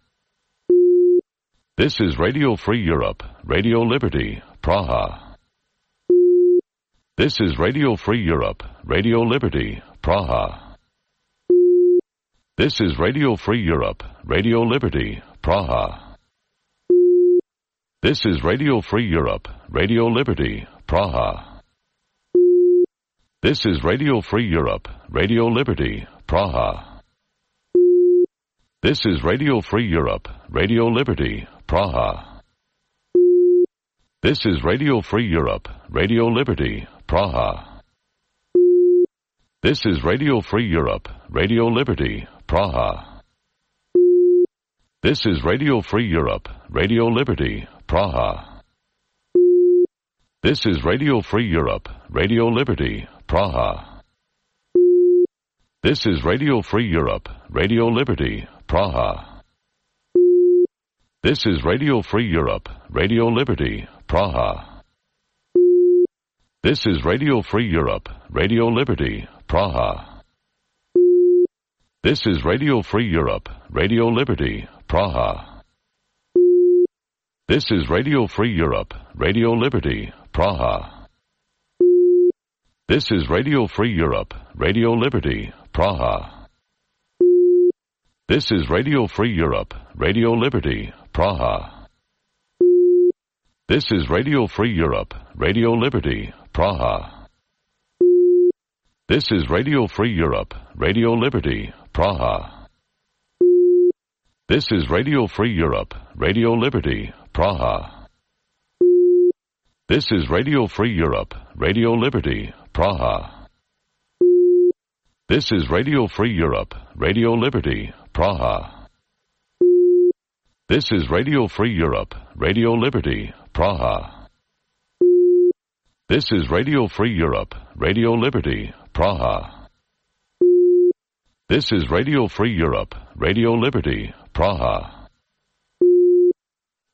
This is Radio Free Europe, Radio Liberty, Praha. This is Radio Free Europe, Radio Liberty, Praha. This is Radio Free Europe, Radio Liberty, Praha. This is Radio Free Europe, Radio Liberty, Praha. This is Radio Free Europe, Radio Liberty, Praha. This is Radio Free Europe, Radio Liberty, Praha. This is Radio Free Europe, Radio Liberty, Praha. This is Radio Free Europe, Radio Liberty, Praha. This is Radio Free Europe, Radio Liberty, Praha. This is Radio Free Europe, Radio Liberty, Praha. This is Radio Free Europe, Radio Liberty, Praha. This is Radio Free Europe, Radio Liberty, Praha. This is Radio Free Europe, Radio Liberty, Praha. This is Radio Free Europe, Radio Liberty, Praha. This is Radio Free Europe, Radio Liberty, Praha. This is Radio Free Europe, Radio Liberty, Praha. This is Radio Free Europe, Radio Liberty, Praha. This is Radio Free Europe, Radio Liberty, Praha. This is Radio Free Europe, Radio Liberty, Praha. This is Radio Free Europe, Radio Liberty, Praha. This is Radio Free Europe, Radio Liberty, Praha. This is Radio Free Europe, Radio Liberty, Praha. This is Radio Free Europe, Radio Liberty, Praha. This is Radio Free Europe, Radio Liberty, Praha. This is Radio Free Europe, Radio Liberty, Praha.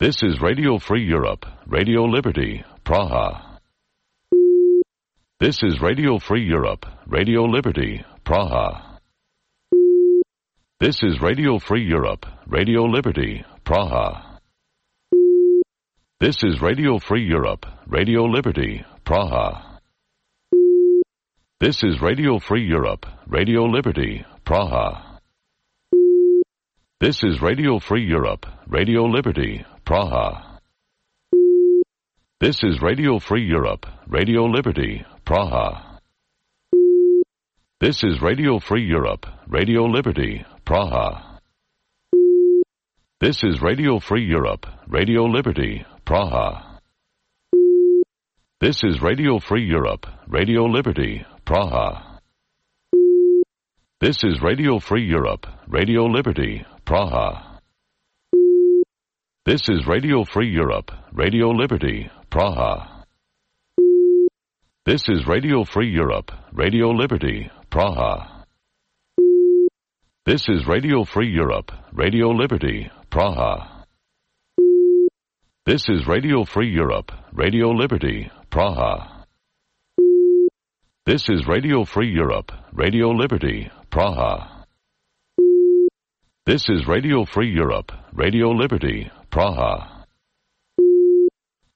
This is Radio Free Europe, Radio Liberty, Praha. This is Radio Free Europe, Radio Liberty, Praha. This is Radio Free Europe, Radio Liberty, Praha. This is Radio Free Europe, Radio Liberty, Praha. This is Radio Free Europe, Radio Liberty, Praha. This is Radio Free Europe, Radio Liberty, Praha. This is Radio Free Europe, Radio Liberty, Praha. This is Radio Free Europe, Radio Liberty, Praha. This is Radio Free Europe, Radio Liberty, Praha. This is Radio Free Europe, Radio Liberty, Praha. This is Radio Free Europe, Radio Liberty, Praha. This is Radio Free Europe, Radio Liberty, Praha. This is Radio Free Europe, Radio Liberty, Praha. This is Radio Free Europe, Radio Liberty, Praha. This is Radio Free Europe, Radio Liberty, Praha. This is Radio Free Europe, Radio Liberty, Praha. This is Radio Free Europe, Radio Liberty, Praha.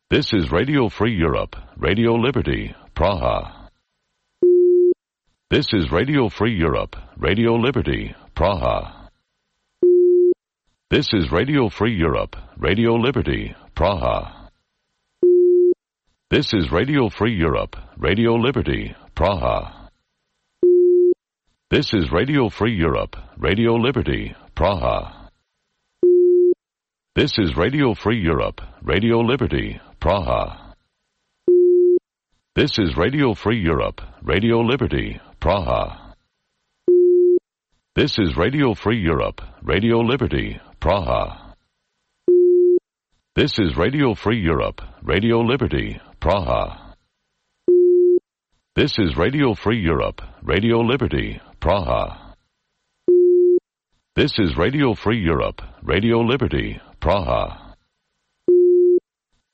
This is Radio Free Europe, Radio Liberty, Praha. This is Radio Free Europe, Radio Liberty, Praha. This is Radio Free Europe, Radio Liberty, Praha. This is Radio Free Europe, Radio Liberty, Praha. This is Radio Free Europe, Radio Liberty, Praha. This is Radio Free Europe, Radio Liberty, Praha. This is Radio Free Europe, Radio Liberty, Praha. This is Radio Free Europe, Radio Liberty, Praha. This is Radio Free Europe, Radio Liberty, Praha. This is Radio Free Europe, Radio Liberty, Praha. This is Radio Free Europe, Radio Liberty, Praha.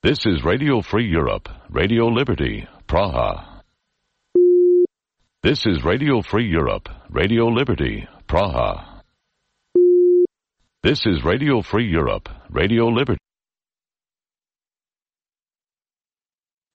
This is Radio Free Europe, Radio Liberty, Praha. This is Radio Free Europe, Radio Liberty, Praha. This is Radio Free Europe, Radio Liberty.